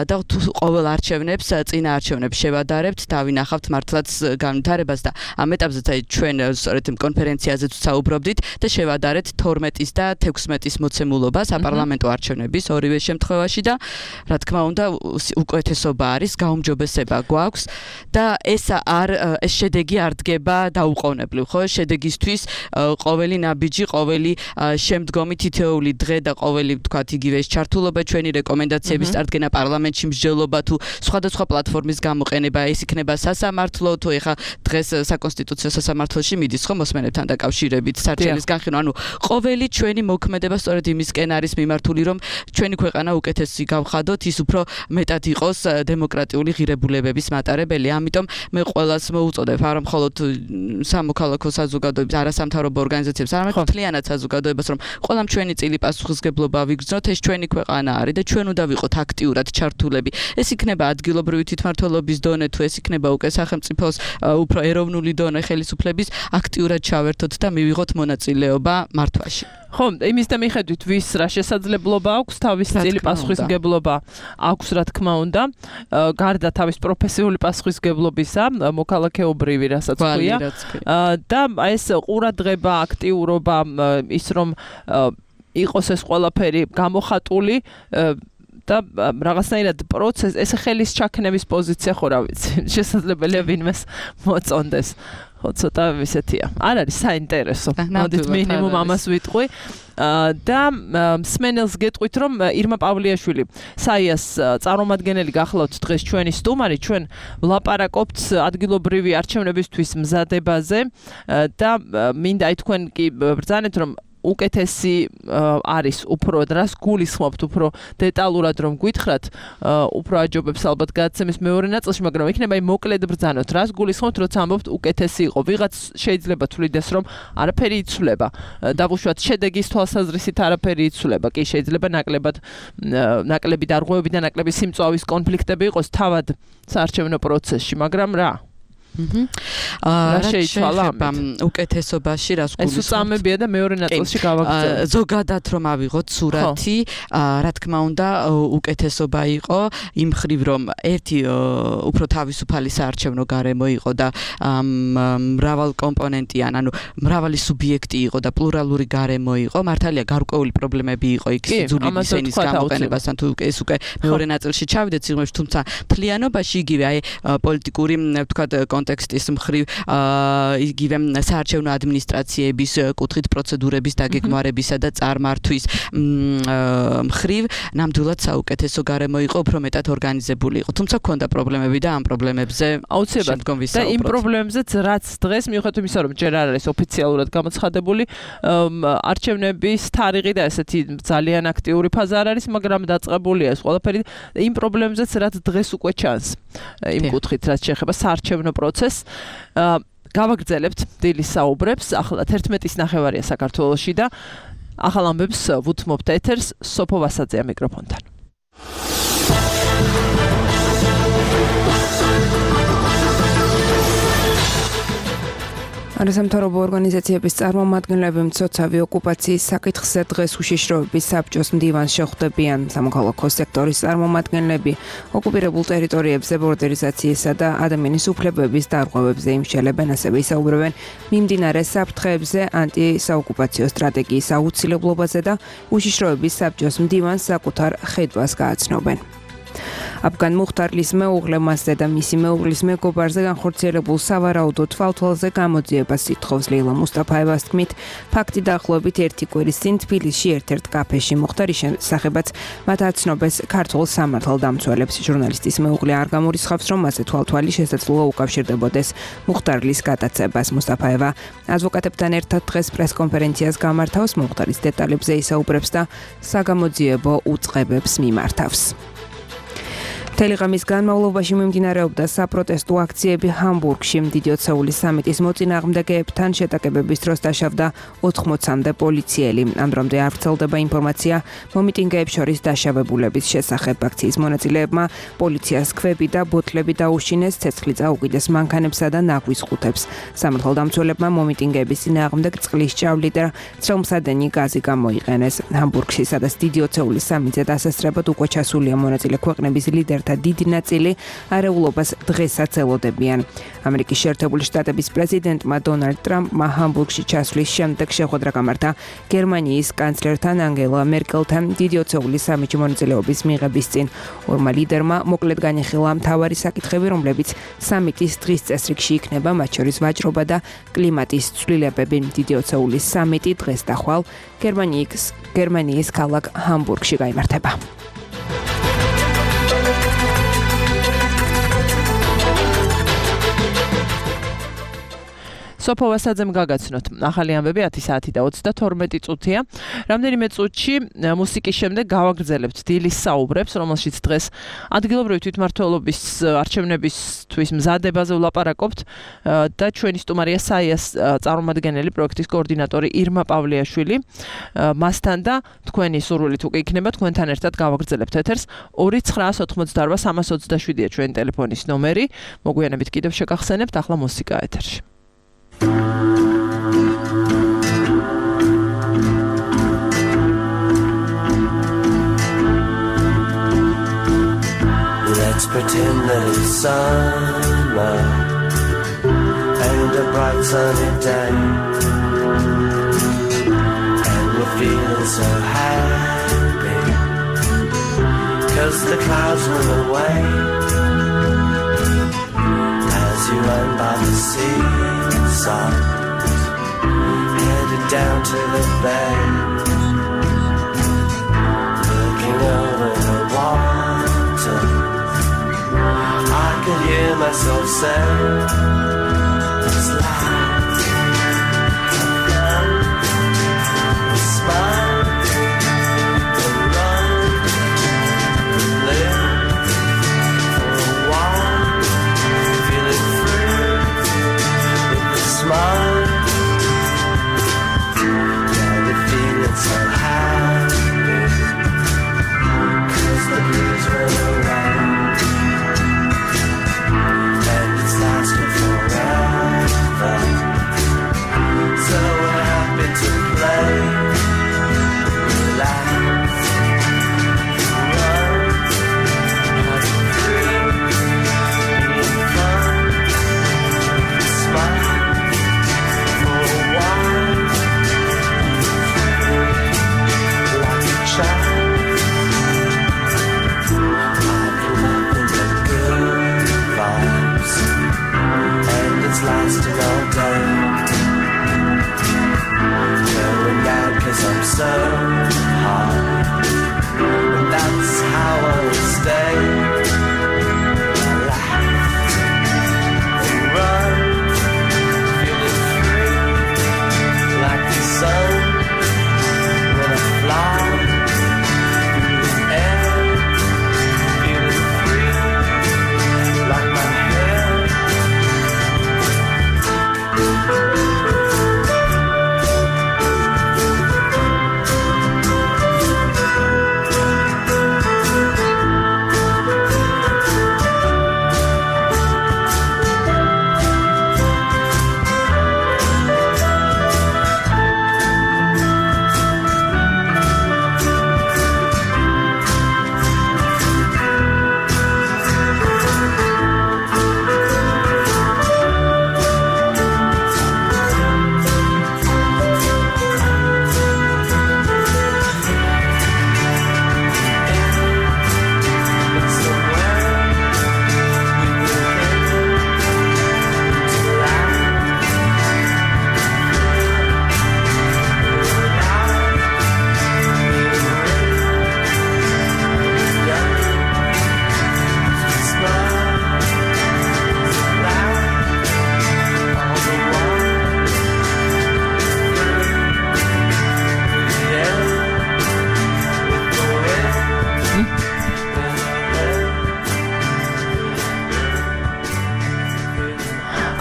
და თუ ყოველ არჩევნებს წინა არჩევნებს შევადარებთ დავინახავთ მართლაც განვითარებას და ამ ეტაპზეც აი ჩვენ სწორედ კონფერენციაზე საუბრობდით და შევადარეთ თორმეტის და თექვსმეტის მოცემულობა საპარლამენტო არჩევნების ორივე შემთხვევაში და რა თქმა უნდა უკეთესობა არის გაუმჯობესება გვაქვს და ეს არ ეს შედეგი არ დგება დაუყოვნებლივ ხო შედეგისთვის ყოველი ნაბიჯი ყოველი შემდგომი თითოეული დღე და ყოველი ვთქვათ იგივე ეს ჩართულობა ჩვენი რეკომენდაციების წარდგენა პარლამენტში მსჯელობა თუ სხვადასხვა პლატფორმის გამოყენება ეს იქნება სასამართლო თუ ეხა დღეს საკონსტიტუციო სასამართლოში მიდის ხო მოსმენებთან დაკავშირებით სარჩელის განხილვა ანუ ყოველი ჩვენი მოქმედება სწორედ იმისკენ არის მიმართული რომ ჩვენი ქვეყანა უკეთესი გავხადოთ ის უფრო მეტად იყოს დემოკრატიული ღირებულებების მატარებელი ამიტომ მე ყველას მოუწოდებ არა მხოლოდ სამოქალაქო საზოგადოებას არასამთავრობო ორგანიზაციებს არამედ მთლიანად საზოგადოებას რომ ყველამ ჩვენი წილი პასუხისმგებლობა ვიგრძნოთ ეს ჩვენი ქვეყანა არის და ჩვენ უნდა ვიყოთ აქტიურად ჩართულები ეს იქნება ადგილობრივი თვითმმართველობის დონე თუ ეს იქნება უკვე სახელმწიფოს უფრო ეროვნული დონე ხელისუფლების აქტიურად ჩავერთოთ და მივიღოთ მონაწილეობა მართვაში ხო, იმის და მიხედვით ვის რა შესაძლებლობა აქვს, თავის წილი პასუხისმგებლობა აქვს, რა თქმა უნდა, გარდა თავის პროფესიული პასუხისმგებლობისა, მოქალაქეობრივი, რასაც ქვია. და ეს ყურადღება, აქტიურობა, ის რომ იყოს ეს ყველაფერი გამოხატული და რაღაცნაირად პროცესი, ეს ხელის ჩაქნების პოზიცია ხო რა ვიცი, შესაძლებელია ვინმეს მოწონდეს. ხო, ცოტა ისეთია. არ არის საინტერესო. მოდით მინიმუმ ამას ვიტყვი. და მსმენელს გეტყვით რომ ირმა პავლიაშვილი საიას წარმომადგენელი გახლავთ დღეს ჩვენი სტუმარი ჩვენ ვლაპარაკობთ ადგილობრივი არჩევნებისთვის მზადებაზე და მინდა აი თქვენ კი ბრძანეთ რომ უკეთესი არის უფრო დრას გულისხმობთ უფრო დეტალურად რომ გითხრათ უფრო აჯობებს ალბათ გადაცემის მეორე ნაწილში მაგრამ იქნება იმ მოკლედ ბრძანოთ რას გულისხმობთ როცა ამბობთ უკეთესი იყო ვიღაც შეიძლება თვლიდეს რომ არაფერი იცვლება დავუშვათ შედეგის თვალსაზრისით არაფერი იცვლება კი შეიძლება ნაკლებად ნაკლები დარღვევები და ნაკლები სიმწვავის კონფლიქტები იყოს თავად საარჩევნო პროცესში მაგრამ რა რა შეიცვალა უკეთესობაში რას გულისხმობთ? ეს უწამებია და მეორე ნაწილში გავაგრძელებ. ზოგადად რომ ავიღოთ სურათი, რა თქმა უნდა, უკეთესობა იყო იმ ხრივ რომ ერთი უფრო თავისუფალი საარჩევნო გარემო იყო და მრავალ კომპონენტიან, ანუ მრავალი სუბიექტი იყო და პლურალური გარემო იყო. მართალია გარკვეული პრობლემები იყო იქ სიძულვის ენის გამოყენებასთან თუ ეს უკვე მეორე ნაწილში ჩავიდეთ სიღრმეში, თუმცა მთლიანობაში იგივე აი პოლიტიკური ვთქვათ კონტექსტის მხრივ იგივე საარჩევნო ადმინისტრაციების კუთხით პროცედურების დაგეგმარებისა და წარმართვის მხრივ ნამდვილად საუკეთესო გარემო იყო, უფრო მეტად ორგანიზებული იყო. თუმცა ჰქონდა პრობლემები და ამ პრობლემებზე აუცილებლად და იმ პრობლემებზეც რაც დღეს მიუხედავად იმისა რომ ჯერ არ არის ოფიციალურად გამოცხადებული არჩევნების თარიღი და ესეთი ძალიან აქტიური ფაზა არ არის, მაგრამ დაწყებულია ეს ყველაფერი იმ პრობლემებზეც რაც დღეს უკვე ჩანს იმ კუთხით რაც შეეხება საარჩევნო პროცესს გავაგრძელებთ დილის საუბრებს ახლა თერთმეტის ნახევარია საქართველოში და ახალ ამბებს ვუთმობთ ეთერს სოფო ვასაძეა მიკროფონთან არასამთავრობო ორგანიზაციების წარმომადგენლები მცოცავი ოკუპაციის საკითხზე დღეს უშიშროების საბჭოს მდივანს შეხვდებიან. სამოქალაქო სექტორის წარმომადგენლები ოკუპირებულ ტერიტორიებზე ბორდერიზაციისა და ადამიანის უფლებების დარღვევებზე იმსჯელებენ, ასევე ისაუბრებენ მიმდინარე საფრთხეებზე, ანტისაოკუპაციო სტრატეგიის აუცილებლობაზე და უშიშროების საბჭოს მდივანს საკუთარ ხედვას გააცნობენ. აფგან მუხტარლის მეუღლე მასზე და მისი მეუღლის მეგობარზე განხორციელებულ სავარაუდო თვალთვალზე გამოძიებას ითხოვს. ლეილა მუსტაფაევას თქმით, ფაქტი დაახლოებით ერთი კვირის წინ თბილისში ერთ-ერთ კაფეში მუხტარის შესახებაც მათ აცნობეს ქართულ სამართალდამცველებს. ჟურნალისტის მეუღლე არ გამორიცხავს, რომ მასზე თვალთვალი შესაძლოა უკავშირდებოდეს მუხტარლის გადაცებას. მუსტაფაევა ადვოკატებთან ერთად დღეს პრესკონფერენციას გამართავს, მუხტარის დეტალებზე ისაუბრებს და საგამოძიებო უწყებებს მიმართავს. თელეგრამის განმავლობაში მიმდინარეობდა საპროტესტო აქციები ჰამბურგში. დიდი ოცეულის სამიტის მოწინააღმდეგეებთან შეტაკებების დროს დაშავდა ოთხმოცამდე პოლიციელი. ამ დრომდე არ ვრცელდება ინფორმაცია მომიტინგეებს შორის დაშავებულების შესახებ. აქციის მონაწილეებმა პოლიციას ქვები და ბოთლები დაუშინეს, ცეცხლი წაუკიდეს მანქანებსა და ნაგვის ყუთებს. სამართალდამცველებმა მომიტინგეების წინააღმდეგ წყლის ჭავლი და წრომსადენი გაზი გამოიყენეს. ჰამბურგში, სადაც დიდი ოცეულის სამიტზე დასასწრებად უკვე ჩასულია მონაწილე ქვეყნების ლიდერთა დიდი ნაწილი არეულობას დღესაც ელოდებიან. ამერიკის შეერთებული შტატების პრეზიდენტმა დონალდ ტრამპმა ჰამბურგში ჩასვლის შემდეგ შეხვედრა გამართა გერმანიის კანცლერთან ანგელა მერკელთან დიდი ოცეულის სამიტში მონაწილეობის მიღების წინ. ორმა ლიდერმა მოკლედ განიხილა მთავარი საკითხები, რომლებიც სამიტის დღის წესრიგში იქნება, მათ შორის ვაჭრობა და კლიმატის ცვლილებები. დიდი ოცეულის სამიტი დღეს და ხვალ გერმანიის გერმანიის ქალაქ ჰამბურგში გაიმართება. სოფო ვასაძემ გაგაცნოთ. ახალი ამბები ათი საათი და ოცდათორმეტი წუთია. რამდენიმე წუთში მუსიკის შემდეგ გავაგრძელებთ დილის საუბრებს, რომელშიც დღეს ადგილობრივი თვითმმართველობის არჩევნებისთვის მზადებაზე ვლაპარაკობთ და ჩვენი სტუმარია საიას წარმომადგენელი პროექტის კოორდინატორი ირმა პავლიაშვილი. მასთან და თქვენი სურვილით უკვე იქნება თქვენთან ერთად გავაგრძელებთ ეთერს. ორი ცხრაას ოთხმოცდაორბა სამას ოცდაშვიდია ჩვენი ტელეფონის ნომერი. მოგვიანებით კიდევ შეგახსენებთ, ახლა მუსიკა ეთერში. Let's pretend that it's summer and a bright sunny day, and we're feeling so happy 'cause the clouds move away as you run by the seaside, headed down to the bay, looking over the water. I could hear myself say, it's like, it's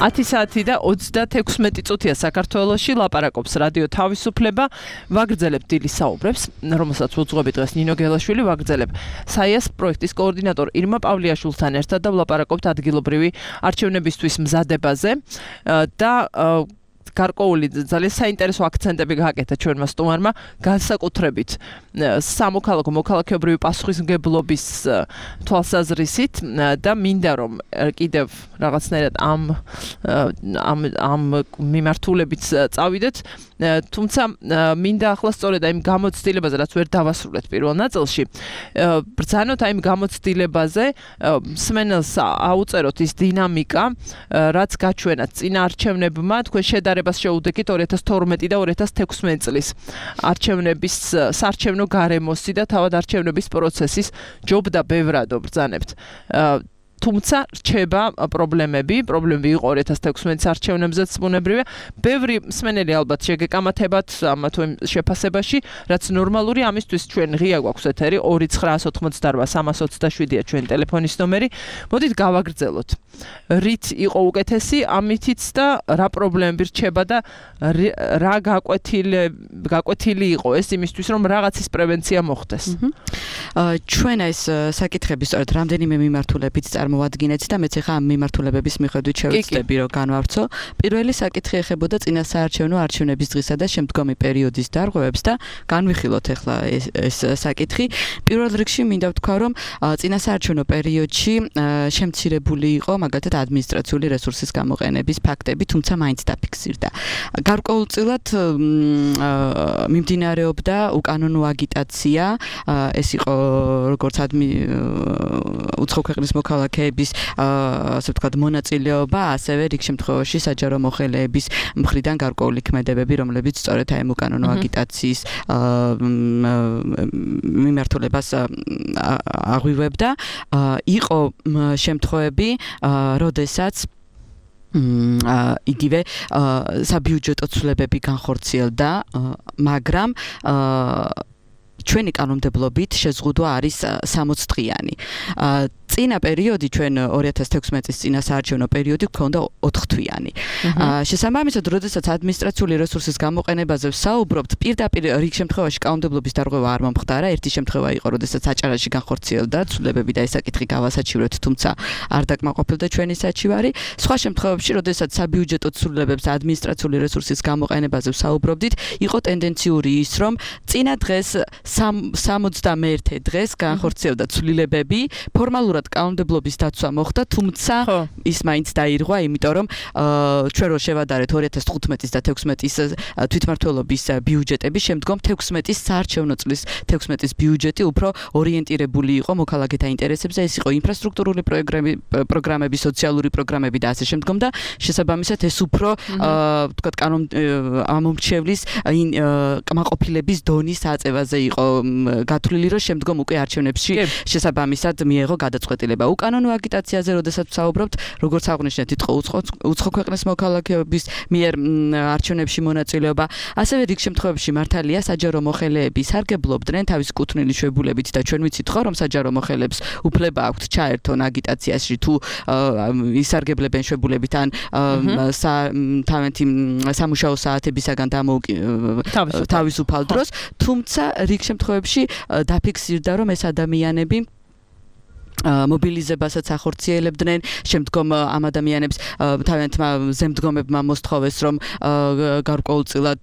ათი საათი და ოცდათექვსმეტი წუთია საქართველოში ლაპარაკობს რადიო თავისუფლება ვაგრძელებ დილის საუბრებს რომელსაც უძღვები დღეს ნინო გელაშვილი ვაგრძელებ საიას პროექტის კოორდინატორ ირმა პავლიაშვილთან ერთად და ვლაპარაკობთ ადგილობრივი არჩევნებისთვის მზადებაზე და გარკვეული ძალიან საინტერესო აქცენტები გააკეთა ჩვენმა სტუმარმა განსაკუთრებით სამოქალაქო მოქალაქეობრივი პასუხისმგებლობის თვალსაზრისით და მინდა რომ კიდევ რაღაცნაირად ამ ამ ამ მიმართულებით წავიდეთ თუმცა მინდა ახლა სწორედ აი იმ გამოცდილებაზე რაც ვერ დავასრულეთ პირველ ნაწილში ბრძანოთ აი იმ გამოცდილებაზე მსმენელს აუწეროთ ის დინამიკა რაც გაჩვენათ წინა არჩევნებმა თქვენ შედარებას შეუდექით ორი ათას თორმეტი და ორი ათას თექვსმეტი წლის არჩევნების საარჩევნო გარემოსი და თავად არჩევნების პროცესის ჯობდა ბევრად ბრძანებთ თუმცა რჩება პრობლემები, პრობლემები იყო ორი ათას თექვსმეტის არჩევნებზეც ბუნებრივია. ბევრი მსმენელი ალბათ შეგეკამათებათ ამ თუ იმ შეფასებაში, რაც ნორმალური ამისთვის ჩვენ ღია გვაქვს ეთერი ორი ცხრაას ოცდაოთხ სამას ოცდაშვიდია ჩვენი ტელეფონის ნომერი. მოდით გავაგრძელოთ. რით იყო უკეთესი ამითიც და რა პრობლემები რჩება და რა გაკვეთილი გაკვეთილი იყო ეს იმისთვის რომ რაღაცის პრევენცია მოხდეს. ჩვენ ეს საკითხები სწორედ რამდენიმე მიმართულებით წარმოვადგინეთ და მეც ახლა ამ მიმართულებების მიხედვით შევეცდები რომ განვავრცო. პირველი საკითხი ეხებოდა წინასაარჩევნო არჩევნების დღისა და შემდგომი პერიოდის დარღვევებს და განვიხილოთ ახლა ეს, ეს საკითხი. პირველ რიგში მინდა ვთქვა რომ წინასაარჩევნო პერიოდში შემცირებული იყო მაგალითად ადმინისტრაციული რესურსის გამოყენების ფაქტები, თუმცა მაინც დაფიქსირდა. გარკვეულწილად მიმდინარეობდა უკანონო აგიტაცია, ეს იყო როგორც ადმი უცხო ქვეყნის მოქალაქეების ასე ვთქვათ მონაწილეობა, ასევე რიგ შემთხვევაში საჯარო მოხელეების მხრიდან გარკვეული ქმედებები, რომლებიც სწორედ აი უკანონო აგიტაციის მიმართულებას აღვივებდა. იყო შემთხვევები, როდესაც იგივე საბიუჯეტო ცვლილებები განხორციელდა, მაგრამ ჩვენი კანონმდებლობით შეზღუდვა არის სამოცი დღიანი. წინა პერიოდი ჩვენ ორი ათას თექვსმეტის წინასაარჩევნო პერიოდი გქონდა ოთხ თვიანი. შესაბამისად, როდესაც ადმინისტრაციული რესურსის გამოყენებაზე ვსაუბრობთ, პირდაპირ რიგ შემთხვევაში კანონმდებლობის დარღვევა არ მომხდარა. ერთი შემთხვევა იყო, როდესაც აჭარაში განხორციელდა ცვლილებები და ეს საკითხი გავასაჩივრეთ, თუმცა არ დაკმაყოფილდა ჩვენი საჩივარი. სხვა შემთხვევებში, როდესაც საბიუჯეტო ცვლილებებს ადმინისტრაციული რესურსის გამოყენებაზე ვსაუბრობდით, იყო ტენდენციური ის, რომ წინა დღეს სამოცდამეერთე დღეს განხორციელდა ცვლილებები, ფორმალურად კანონმდებლობის დაცვა მოხდა, თუმცა ის მაინც დაირღვა, იმიტომ რომ ჩვენ რო შევადარეთ ორი ათას თხუთმეტის და თექვსმეტის თვითმმართველობის ბიუჯეტები, შემდგომ თექვსმეტის საარჩევნო წლის თექვსმეტის ბიუჯეტი უფრო ორიენტირებული იყო მოქალაქეთა ინტერესებზე, ეს იყო ინფრასტრუქტურული პროგრამები, სოციალური პროგრამები და ასე შემდგომ და შესაბამისად ეს უფრო ვთქვათ კანონ ამომრჩევლის კმაყოფილების დონის აწევაზე იყო გათვლილი, რომ შემდგომ უკვე არჩევნებში შესაბამისად მიეღო გადაწყვეტილება. უკანონო აგიტაციაზე როდესაც ვსაუბრობთ, როგორც აღნიშნეთ, იყო უცხო ქვეყნის მოქალაქეობის მიერ არჩევნებში მონაწილეობა, ასევე რიგ შემთხვევებში მართალია საჯარო მოხელეები სარგებლობდნენ თავის კუთვნილი შვებულებით და ჩვენ ვიცით ხო, რომ საჯარო მოხელეებს უფლება აქვთ ჩაერთონ აგიტაციაში თუ ისარგებლებენ შვებულებით ან თავენთი სამუშაო საათებისაგან თავისუფალ დროს, თუმცა რიგ შემთხვევებში დაფიქსირდა, რომ ეს ადამიანები მობილიზებასაც ახორციელებდნენ, შემდგომ ამ ადამიანებს თავიანთმა ზემდგომებმა მოსთხოვეს, რომ გარკვეულწილად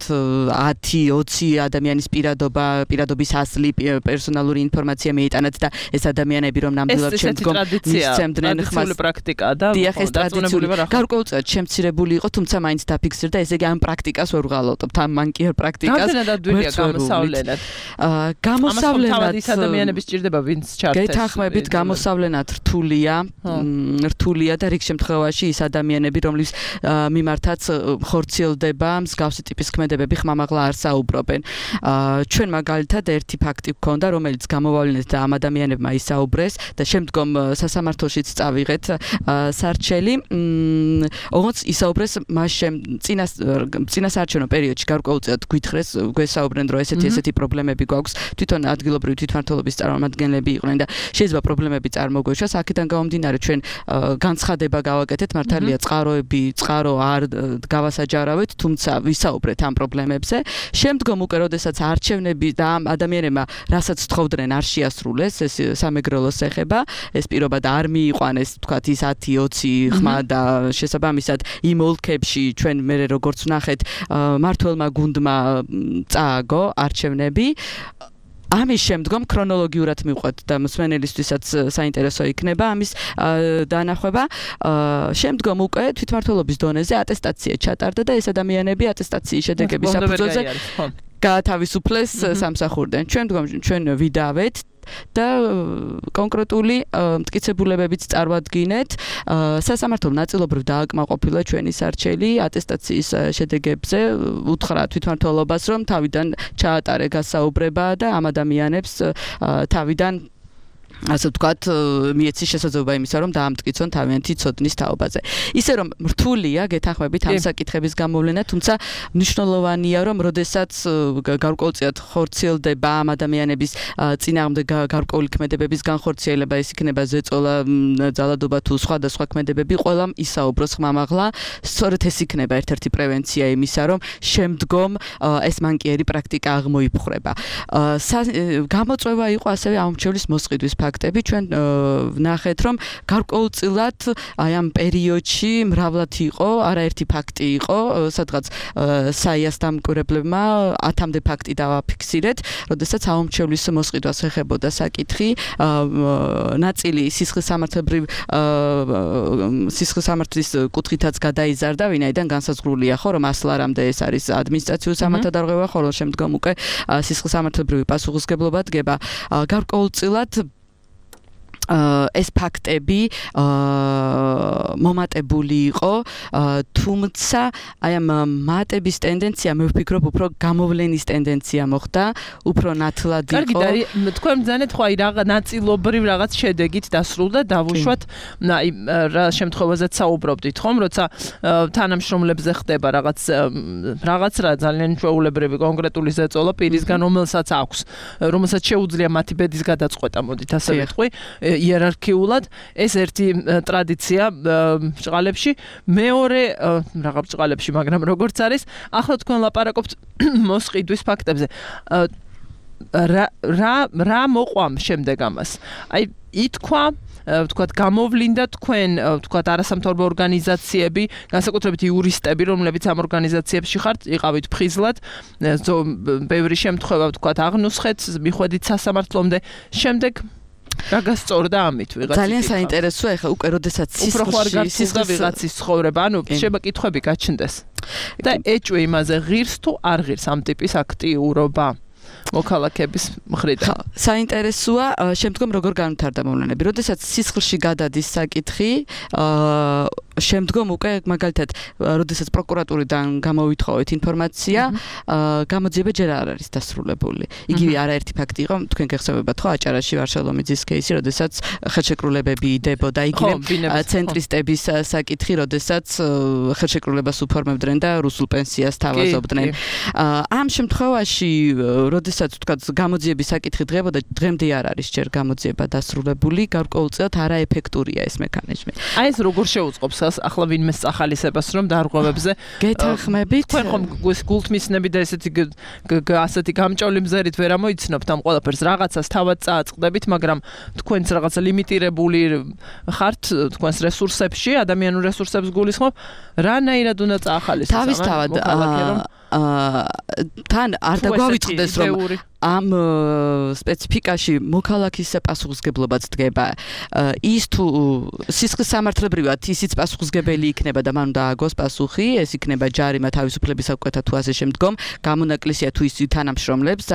ათი ოცი ადამიანის პირადობა, პირადობის ასლი, პერსონალური ინფორმაცია მიიტანათ და ეს ადამიანები რომ ნამდვილად შემდგომ მისცემდნენ ხმას. ეს პრაქტიკაა და ტრადიციული გარკვეულწილად შემცირებული იყო, თუმცა მაინც დაფიქსირდა, ესე იგი ამ პრაქტიკას ვერ ვღალატობთ, ამ მანკიერ პრაქტიკას. გამდენადვილია გამოსავლენად. გამოსავლენად ის ადამიანები სჭირდება, ვინც ჩართეს. გეთანხმებით გამოსავლენად მოსავლენად რთულია, რთულია და რიგ შემთხვევაში ის ადამიანები, რომლის მიმართაც ხორციელდება მსგავსი ტიპის ქმედებები, ხმამაღლა არ საუბრობენ. ჩვენ მაგალითად ერთი ფაქტი გქონდა, რომელიც გამოვავლინეთ და ამ ადამიანებმა ისაუბრეს და შემდგომ სასამართლოშიც წავიღეთ სარჩელი. ოღონდ ისაუბრეს მას წინასაარჩევნო პერიოდში გარკვეულწილად გვითხრეს, გვესაუბრენ, რომ ესეთი ესეთი პრობლემები გვაქვს, თვითონ ადგილობრივი თვითმმართველობის წარმომადგენლები იყვნენ და შეიძლება პრობლემები წარმოგვეშვა. აქედან გამომდინარე ჩვენ განცხადება გავაკეთეთ მართალია წყაროები, წყარო არ გავასაჯარავეთ, თუმცა ვისაუბრეთ ამ პრობლემებზე. შემდგომ უკვე როდესაც არჩევნები და ამ ადამიანებმა რასაც თხოვდნენ არ შეასრულეს, ეს სამეგრელოს ეხება, ეს პირობად არ მიიყვანეს, თქვათ ის ათი ოცი ხმა და შესაბამისად იმ ოლქებში ჩვენ მე როგორც ვნახეთ მართველმა გუნდმა წააგო არჩევნები. ამის შემდგომ ქრონოლოგიურად მივყვეთ და მსმენელისთვისაც საინტერესო იქნება ამის დანახვება. შემდგომ უკვე თვითმმართველობის დონეზე ატესტაცია ჩატარდა და ეს ადამიანები ატესტაციის შედეგების საფუძველზე გაათავისუფლეს სამსახურიდან. შემდგომ ჩვენ ვიდავეთ და კონკრეტული მტკიცებულებებიც წარვადგინეთ. სასამართლომ ნაწილობრივ დააკმაყოფილა ჩვენი სარჩელი ატესტაციის შედეგებზე, უთხრა თვითმმართველობას, რომ თავიდან ჩაატარე გასაუბრება და ამ ადამიანებს თავიდან ასე ვთქვათ, მიეცი შესაძლებლობა იმისა, რომ დაამტკიცონ თავიანთი ცოდნის თაობაზე. ისე რომ რთულია გეთანხმებით ამ საკითხების გამოვლენა, თუმცა მნიშვნელოვანია, რომ როდესაც გარკვეულწილად ხორციელდება ამ ადამიანების წინააღმდეგ გარკვეული ქმედებების განხორციელება, ეს იქნება ზეწოლა, ძალადობა თუ სხვადასხვა ქმედებები, ყველამ ისაუბროს ხმამაღლა. სწორედ ეს იქნება ერთ-ერთი პრევენცია იმისა, რომ შემდგომ ეს მანკიერი პრაქტიკა აღმოიფხვრება. გამოწვევა იყო ასევე აუმჩევლის მოსყიდვის ფაქტები. ჩვენ ვნახეთ, რომ გარკვეულწილად აი ამ პერიოდში მრავლად იყო, არაერთი ფაქტი იყო, სადღაც საიას დამკვირვებლებმა ათამდე ფაქტი დავაფიქსირეთ, როდესაც აუმჩევლის მოსყიდვას ეხებოდა საკითხი, ნაწილი სისხლისამართლებრივ სისხლისამართლის კუთხითაც გადაიზარდა, ვინაიდან განსაზღვრულია ხო, რომ ასლარამდე ეს არის ადმინისტრაციული სამართალდარღვევა, ხოლო შემდგომ უკვე სისხლისამართლებრივი პასუხისმგებლობა დგება. გარკვეულწილად ეს ფაქტები მომატებული იყო, თუმცა აი ამ მატების ტენდენცია მე ვფიქრობ უფრო გამოვლენის ტენდენცია მოხდა, უფრო ნათლად იყო. კარგი, და თქვენ ბრძანეთ ხო აი რაღაც ნაწილობრივ რაღაც შედეგით დასრულდა, დავუშვათ, აი რა შემთხვევაზეც საუბრობდით ხომ, როცა თანამშრომლებზე ხდება რაღაც რაღაც რა ძალიან ჩვეულებრივი კონკრეტული ზეწოლა პირისგან, რომელსაც აქვს, რომელსაც შეუძლია მათი ბედის გადაწყვეტა, მოდით ასე ვიტყვი. იერარქიულად ეს ერთი ტრადიცია ბჭყალებში, მეორე რაღაც ბჭყალებში, მაგრამ როგორც არის, ახლა თქვენ ლაპარაკობთ მოსყიდვის ფაქტებზე. რა რა რა მოყვამ შემდეგ ამას? აი ითქვა ვთქვათ, გამოვლინდა თქვენ, ვთქვათ, არასამთავრობო ორგანიზაციები, განსაკუთრებით იურისტები, რომლებიც ამ ორგანიზაციებში ხართ, იყავით ფხიზლად, ბევრი შემთხვევა, ვთქვათ, აღნუსხეთ, მიხვედით სასამართლომდე, შემდეგ რა გასწორდა ამით ვიღაც? ძალიან საინტერესოა, ეხლა უკვე როდესაც სისხლში სისხლი ვიღაცის ცხოვრება, ანუ შემოკითხვები გაჩნდეს. და ეჭვი იმაზე ღირს თუ არ ღირს ამ ტიპის აქტიურობა მოქალაქების მხრიდან. საინტერესოა, შემდგომ როგორ განვითარდა მოვლენები. როდესაც სისხლში გადადის საკითხი, შემდგომ უკვე მაგალითად, როდესაც პროკურატურიდან გამოვითხოვეთ ინფორმაცია, გამოძიება ჯერ არ არის დასრულებული. იგივე არაერთი ფაქტი იყო, თქვენ გეხსოვებათ ხო, აჭარაში ვარშალომიძის кейსი, როდესაც ხელშეკრულებები იდებოდა, იგივე ცენტრისტების საკითხი, როდესაც ხელშეკრულებას უფორმებდნენ და რუსულ პენსიას თავაზობდნენ. ამ შემთხვევაში, როდესაც თქვა გამოძიების საკითხი დღებოდა, დღემდე არ არის ჯერ გამოძიება დასრულებული, გარკვეულწილად არაეფექტურია ეს მექანიზმი. აი ეს როგორ შეუწყობს ახლა ვინმე სახალისებას, რომ დარღვევებზე გეთანხმებით? თქვენ ხომ გულთმისნები და ესეთი ასეთი გამჭოლი მზერით ვერ ამოიცნობთ ამ ყველაფერს, რაღაცას თავად წააწყდებით, მაგრამ თქვენც რაღაც ლიმიტირებული ხართ თქვენს რესურსებში, ადამიანურ რესურსებს გულისხმობ, რანაირად უნდა წაახალისოს? თავისთავად თან არ დაგვავიწყდეს, რომ ამ სპეციფიკაში მოქალაქის პასუხისმგებლობაც დგება. ის თუ სისხლისამართლებრივად ისიც პასუხისმგებელი იქნება და მან უნდა ააგოს პასუხი, ეს იქნება ჯარიმა თავისუფლების საკვეთა თუ ასე შემდგომ, გამონაკლისია თუ ის თანამშრომლებს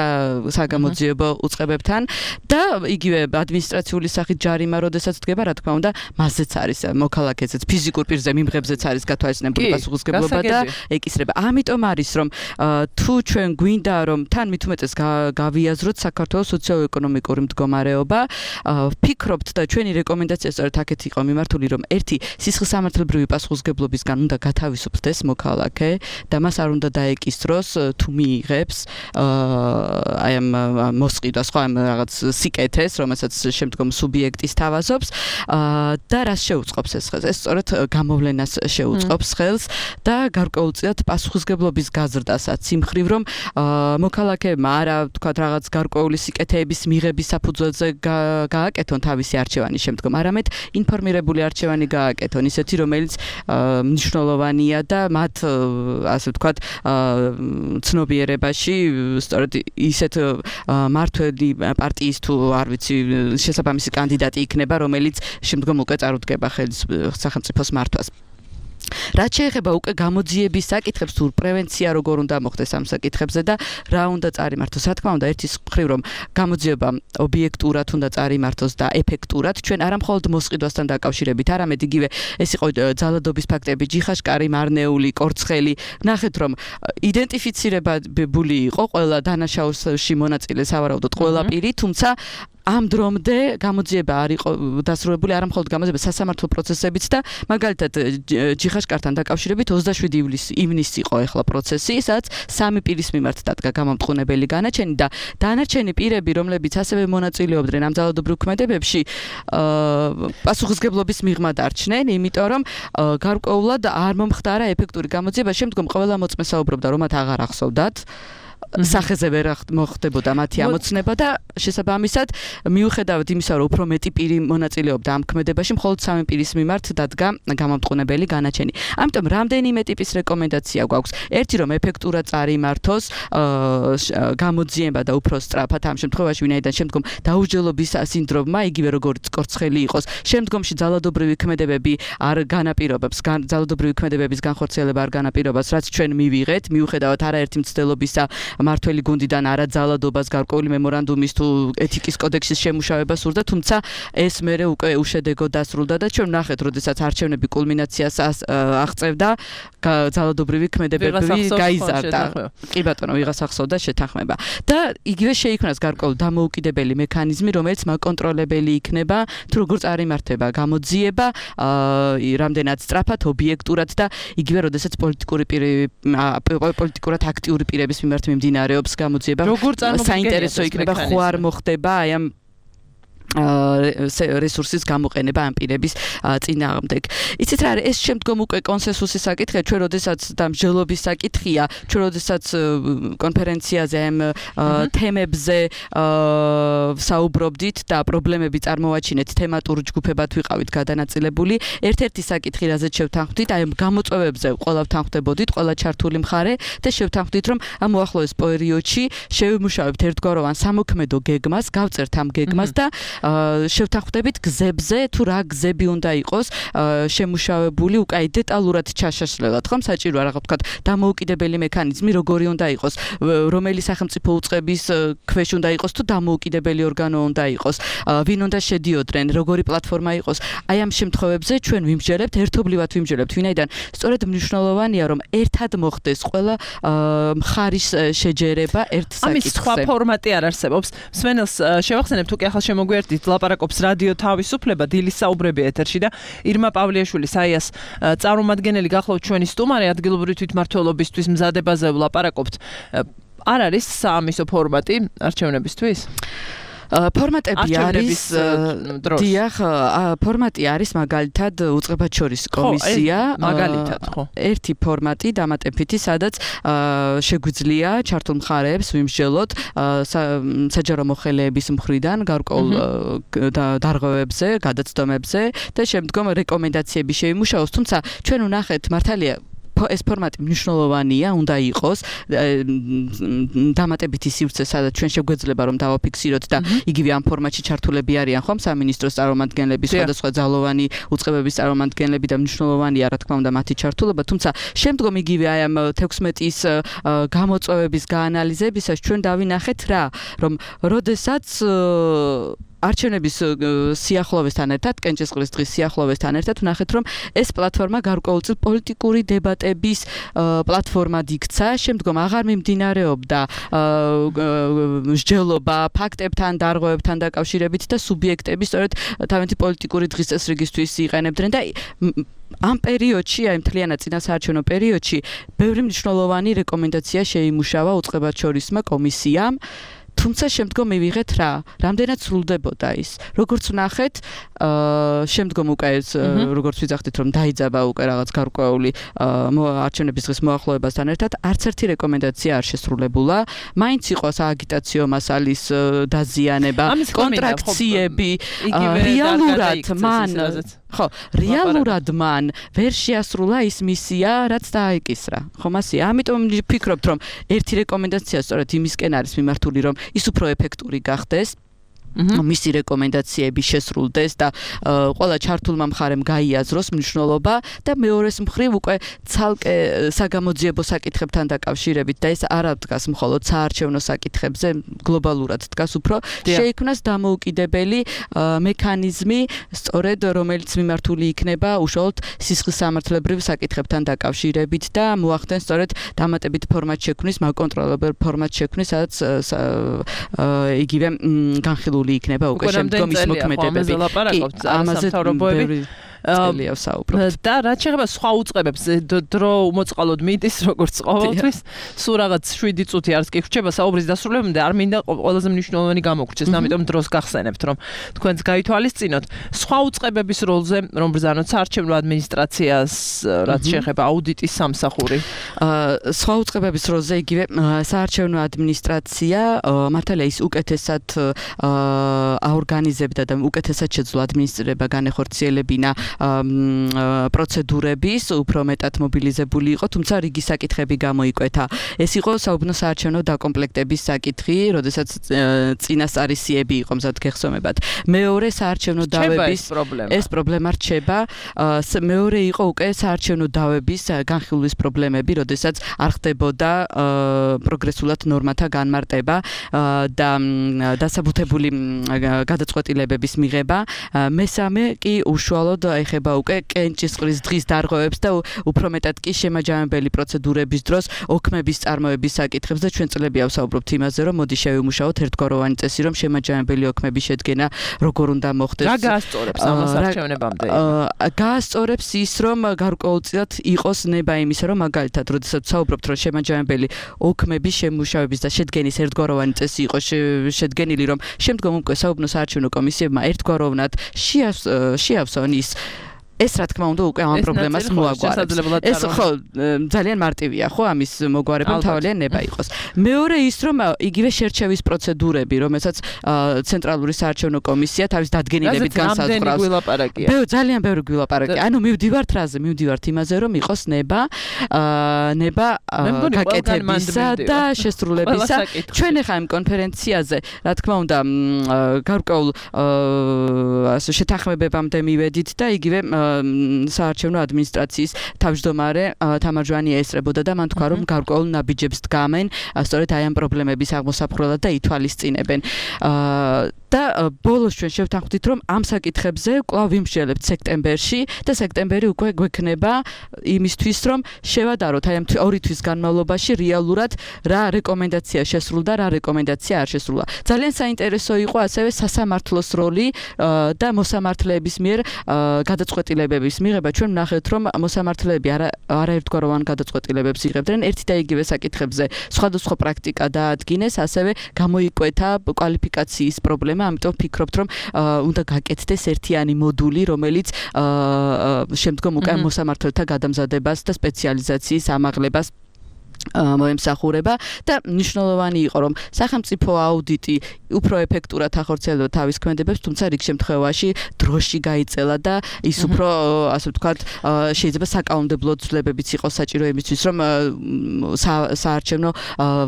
საგამოძიებო უწყებებთან და იგივე ადმინისტრაციული სახით ჯარიმა როდესაც დგება, რა თქმა უნდა, მასზეც არის მოქალაქესაც ფიზიკურ პირზე მიმღებზეც არის გათვალისწინებული პასუხისმგებლობა და ეკისრება. ამიტომ არის რომ თუ ჩვენ გვინდა რომ თან მithumetes გავიაზროთ საქართველოს სოციო-ეკონომიკური მდგომარეობა. Ფიქრობთ და ჩვენი რეკომენდაცია სწორედ აქეთ იყო მიმართული, რომ ერთი სისხლსამართლებრივი პასუხისგებლობისგან უნდა გათავისუფლდეს მოქალაქე და მას არ უნდა დაეკისროს თუ მიიღებს აი ამ მოსყიდვას, ხო, ამ რაღაც სიკეთეს, რომელსაც შემდგომ სუბიექტის თავაზობს და რას შეუწყობს ეს ხელს? ეს სწორედ გამოვლენას შეუწყობს ხელს და გარკვეულწილად პასუხისგებლობის გაზრდასაც იმ მხრივ, რომ მოქალაქეებმა არა თქვათ რაღაც გარკვეული სიკეთეების მიღების საფუძველზე გააკეთონ თავისი არჩევანი შემდგომ, არამედ ინფორმირებული არჩევანი გააკეთონ, ისეთი რომელიც მნიშვნელოვანია და მათ ასე ვთქვათ ცნობიერებაში სწორედ ისეთ მართველი პარტიის თუ არ ვიცი შესაბამისი კანდიდატი იქნება, რომელიც შემდგომ უკვე წარუდგება ხელის სახელმწიფოს მართვას. რაც შეეხება უკვე გამოძიების საკითხებს, თუ პრევენცია როგორ უნდა მოხდეს ამ საკითხებზე და რა უნდა წარიმართოს. რა თქმა უნდა, ერთის მხრივ რომ გამოძიება ობიექტურად უნდა წარიმართოს და ეფექტურად, ჩვენ არა მხოლოდ მოსყიდვასთან დაკავშირებით, არამედ იგივე ეს იყო ძალადობის ფაქტები, ჯიხაშკარი, მარნეული, კორცხელი. ნახეთ, რომ იდენტიფიცირებული იყო ყველა დანაშაულში მონაწილე სავარაუდოდ ყველა პირი, თუმცა ამ დრომდე გამოძიება არ იყო დასრულებული, არა მხოლოდ გამოძიება, სასამართლო პროცესებიც და მაგალითად ჯიხაშკართან დაკავშირებით ოცდაშვიდი ივნისი იყო ახლა პროცესი, სადაც სამი პირის მიმართ დადგა გამამტყუნებელი განაჩენი და დანარჩენი პირები, რომლებიც ასევე მონაწილეობდნენ ამ ძალადობრივ ქმედებებში, პასუხისგებლობის მიღმა დარჩნენ, იმიტომ რომ გარკვეულად არ მომხდარა ეფექტური გამოძიება, შემდგომ ყველა მოწმე საუბრობდა, რომ მათ აღარ ახსოვდათ სახეზე ვერ მოხდებოდა მათი ამოცნება და შესაბამისად მიუხედავად იმისა, რომ უფრო მეტი პირი მონაწილეობდა ამ ქმედებაში, მხოლოდ სამი პირის მიმართ დადგა გამამტყუნებელი განაჩენი. ამიტომ რამდენიმე ტიპის რეკომენდაცია გვაქვს. ერთი, რომ ეფექტურად წარიმართოს გამოძიება და უფრო სწრაფად ამ შემთხვევაში, ვინაიდან შემდგომ დაუსჯელობის სინდრომმა, იგივე როგორც კორცხელი იყოს, შემდგომში ძალადობრივი ქმედებები არ განაპირობებს, ძალადობრივი ქმედებების განხორციელება არ განაპირობებს, რაც ჩვენ მივიღეთ, მიუხედავად არაერთი მცდელობისა მართველი გუნდიდან არა ძალადობას გარკვეული მემორანდუმის თუ ეთიკის კოდექსის შემუშავებას სურდა, თუმცა ეს მერე უკვე უშედეგო დასრულდა და ჩვენ ვნახეთ, როდესაც არჩევნები კულმინაციას აღწევდა, ძალადობრივი ქმედებები გაიზარდა. კი ბატონო, ვიღას ახსოვდა შეთანხმება. და იგივე შეიქმნას გარკვეული დამოუკიდებელი მექანიზმი, რომელიც მაკონტროლებელი იქნება, თუ როგორ წარიმართება გამოძიება, რამდენად სწრაფად, ობიექტურად და იგივე, როდესაც პოლიტიკური პირი პოლიტიკურად აქტიური პირების მიმართ მიმდინარეობს გამოძიება, საინტერესო იქნება, ხო არ მოხდება აი ამ რესურსის გამოყენება ამ პირების წინააღმდეგ. იცით რა, ეს შემდგომ უკვე კონსენსუსის საკითხია, ჩვენ როდესაც და მსჯელობის საკითხია, ჩვენ როდესაც კონფერენციაზე ამ თემებზე საუბრობდით და პრობლემები წარმოვაჩინეთ, თემატურ ჯგუფებად ვიყავით გადანაწილებული. ერთ-ერთი საკითხი, რაზეც შევთანხმდით, აი ამ გამოწვევებზე ყველა ვთანხმდებოდით, ყველა ჩართული მხარე და შევთანხმდით, რომ ამ უახლოეს პერიოდში შევიმუშავებთ ერთგვაროვან სამოქმედო გეგმას, გავწერთ ამ გეგმას და შევთანხმდებით გზებზე, თუ რა გზები უნდა იყოს შემუშავებული უკაი დეტალურად ჩაშაშლელად, ხომ საჭიროა რაღაც ვთქვათ დამოუკიდებელი მექანიზმი როგორი უნდა იყოს, რომელი სახელმწიფო უწყების ქვეშ უნდა იყოს თუ დამოუკიდებელი ორგანო უნდა იყოს, ვინ უნდა შედიოდნენ, როგორი პლატფორმა იყოს. აი ამ შემთხვევებზე ჩვენ ვიმსჯელებთ, ერთობლივად ვიმსჯელებთ, ვინაიდან სწორედ მნიშვნელოვანია, რომ ერთად მოხდეს ყველა მხარის შეჯერება ერთ საკითხზე. ამის სხვა ფორმატი არ არსებობს. მსმენელს შევახსენებთ, თუ კი ახლა შემოგვიერთდით, ლაპარაკობს რადიო თავისუფლება, დილის საუბრები ეთერში და ირმა პავლიაშვილი საიას წარმომადგენელი გახლავთ ჩვენი სტუმარი, ადგილობრივი თვითმმართველობისთვის მზადებაზე ვლაპარაკობთ. არ არის საამისო ფორმატი არჩევნებისთვის? ფორმატები არის დიახ, ფორმატი არის მაგალითად უწყებად შორის კომისია, მაგალითად, ხო. ერთი ფორმატი დამატებითი, სადაც შეგვიძლია ჩართულ მხარეებს ვიმსჯელოთ საჯარო მოხელეების მხრიდან გარკვეულ დარღვევებზე, გადაცდომებზე და შემდგომ რეკომენდაციები შევიმუშაოს, თუმცა ჩვენ ვნახეთ მართალია ეს ფორმატი მნიშვნელოვანია, უნდა იყოს დამატებითი სივრცე, სადაც ჩვენ შეგვეძლება რომ დავაფიქსიროთ და იგივე ამ ფორმატში ჩართულები არიან ხომ სამინისტროს წარმომადგენლები, სხვადასხვა ძალოვანი უწყებების წარმომადგენლები და მნიშვნელოვანია რა თქმა უნდა მათი ჩართულობა, თუმცა შემდგომ იგივე აი ამ თექვსმეტის გამოწვევების გაანალიზებისას ჩვენ დავინახეთ რა, რომ როდესაც არჩევნების სიახლოვესთან ერთად, კენჭისყრის დღის სიახლოვესთან ერთად ვნახეთ, რომ ეს პლატფორმა გარკვეულწილ პოლიტიკური დებატების პლატფორმად იქცა, შემდგომ აღარ მიმდინარეობდა მსჯელობა ფაქტებთან, დარღვევებთან დაკავშირებით და სუბიექტები სწორედ თავიანთი პოლიტიკური დღის წესრიგისთვის იყენებდნენ და ამ პერიოდში, აი მთლიანად წინა საარჩევნო პერიოდში, ბევრი მნიშვნელოვანი რეკომენდაცია შეიმუშავა უწყებაჩორისმა კომისიამ. თუმცა შემდგომ მივიღეთ რა, რამდენად სრულდებოდა ის. როგორც ვნახეთ, შემდგომ უკვე როგორც ვიძახდით, რომ დაიძაბა უკვე რაღაც გარკვეული არჩევნების დღის მოახლოებასთან ერთად, არც ერთი რეკომენდაცია არ შესრულებულა. მაინც იყო სააგიტაციო მასალის დაზიანება, კონტრაქციები, რეალურად მან ხო, რეალურად მან ვერ შეასრულა ის მისია, რაც დააიკისრა. ხო, მასია. ამიტომ ვფიქრობთ, რომ ერთი რეკომენდაცია სწორედ იმისკენ არის მიმართული, რომ ის უფრო ეფექტური გახდეს. მისი რეკომენდაციები შესრულდეს და ყველა ჩართულმა მხარემ გაიაზროს მნიშვნელობა და მეორეს მხრივ უკვე ცალკე საგამოძიებო საკითხებთან დაკავშირებით და ეს არ დგას მხოლოდ საარჩევნო საკითხებზე, გლობალურად დგას უფრო შეიქმნას დამოუკიდებელი მექანიზმი, სწორედ რომელიც მიმართული იქნება უშუალოდ სისხლისამართლებრივ საკითხებთან დაკავშირებით და მოახდენს სწორედ დამატებით ფორმატ შექმნის, მაკონტროლებელ ფორმატ შექმნის, სადაც იგივე განხილული იქნება უკვე შემდგომ ის მოქმედებები. კი, ამაზე თავრობოები წელია ვსაუბრობთ. და რაც შეეხება სხვა უწყებებს, დრო უმოწყალოდ მიდის, როგორც ყოველთვის, სულ რაღაც შვიდი წუთი არც კი ხრჩება საუბრის დასრულებამდე, არ მინდა ყველაზე მნიშვნელოვანი გამოგვრჩეს, ამიტომ დროს გახსენებთ, რომ თქვენც გაითვალისწინოთ სხვა უწყებების როლზე, რომ ბრძანოთ საარჩევნო ადმინისტრაციას, რაც შეეხება აუდიტის სამსახური. სხვა უწყებების როლზე იგივე საარჩევნო ადმინისტრაცია მართალია ის უკეთესად აორგანიზებდა და უკეთესად შეძლო ადმინისტრირება განეხორციელებინა პროცედურების, უფრო მეტად მობილიზებული იყო, თუმცა რიგი საკითხები გამოიკვეთა. ეს იყო საუბნო საარჩევნო დაკომპლექტების საკითხი, როდესაც წინასწარისიები იყო მზად გეხსომებათ. მეორე საარჩევნო დავების ეს პრობლემა რჩება. მეორე იყო უკვე საარჩევნო დავების განხილვის პრობლემები, როდესაც არ ხდებოდა პროგრესულად ნორმათა განმარტება და დასაბუთებული გადაწყვეტილებების მიღება. მესამე კი უშუალოდ ეხება უკვე კენჭისყრის დღის დარღვევებს და უფრო მეტად კი შემაჯამებელი პროცედურების დროს ოქმების წარმოების საკითხებს და ჩვენ წლებია ვსაუბრობთ იმაზე, რომ მოდი შევიმუშაოთ ერთგვაროვანი წესი, რომ შემაჯამებელი ოქმების შედგენა როგორ უნდა მოხდეს. რა გაასწორებს ამას არჩევნებამდე? გაასწორებს ის, რომ გარკვეულწილად იყოს ნება იმისა, რომ მაგალითად, როდესაც ვსაუბრობთ, რომ შემაჯამებელი ოქმების შემუშავების და შედგენის ერთგვაროვანი წესი იყოს შედგენილი, რომ შემდგომ უკვე საუბნო საარჩევნო კომისიებმა ერთგვაროვნად შეავსონ ის ეს რა თქმა უნდა უკვე ამ პრობლემას მოაგვარებს. ეს ხო ძალიან მარტივია, ხო ამის მოგვარება თავალია ნება იყოს. მეორე ის რომ იგივე შერჩევის პროცედურები, რომელსაც ცენტრალური საარჩევნო კომისია თავის დადგენილებით განსაზღვრავს. ბევრი ძალიან ბევრი გვილაპარაკია. ანუ მივდივართ რაზე, მივდივართ იმაზე, რომ იყოს ნება, ნება გაკეთებისა და შესრულებისა. ჩვენ ახლა ამ კონფერენციაზე, რა თქმა უნდა, გარკვეულ ასე შეთანხმებებამდე მივედით და იგივე საარჩევნო ადმინისტრაციის თავმჯდომარე თამარ ჟვანია ესწრებოდა და მან თქვა, რომ გარკვეულ ნაბიჯებს დგამენ სწორედ აი ამ პრობლემების აღმოსაფხვრელად და ითვალისწინებენ. და ბოლოს ჩვენ შევთანხმდით, რომ ამ საკითხებზე კვლავ ვიმსჯელებთ სექტემბერში და სექტემბერი უკვე გვექნება იმისთვის, რომ შევადაროთ აი ამ ორი თვის განმავლობაში რეალურად რა რეკომენდაცია შესრულდა, რა რეკომენდაცია არ შესრულა. ძალიან საინტერესო იყო ასევე სასამართლოს როლი და მოსამართლეების მიერ გადაწყვეტილებების მიღება. ჩვენ ვნახეთ, რომ მოსამართლეები არაერთგვაროვან გადაწყვეტილებებს იღებდნენ ერთი და იგივე საკითხებზე. სხვადასხვა პრაქტიკა დაადგინეს, ასევე გამოიკვეთა კვალიფიკაციის პრობლემა. ამიტომ ვფიქრობთ, რომ უნდა გაკეთდეს ერთიანი მოდული, რომელიც შემდგომ უკვე მოსამართლეთა გადამზადებას და სპეციალიზაციის ამაღლებას მოემსახურება და მნიშვნელოვანი იყო, რომ სახელმწიფო აუდიტი უფრო ეფექტურად ახორციელებდა თავის ქმედებებს, თუმცა რიგ შემთხვევაში დროში გაიწელა და ის უფრო, ასე ვთქვათ, შეიძლება საკანონმდებლო ცვლილებებიც იყოს საჭირო იმისთვის, რომ საარჩევნო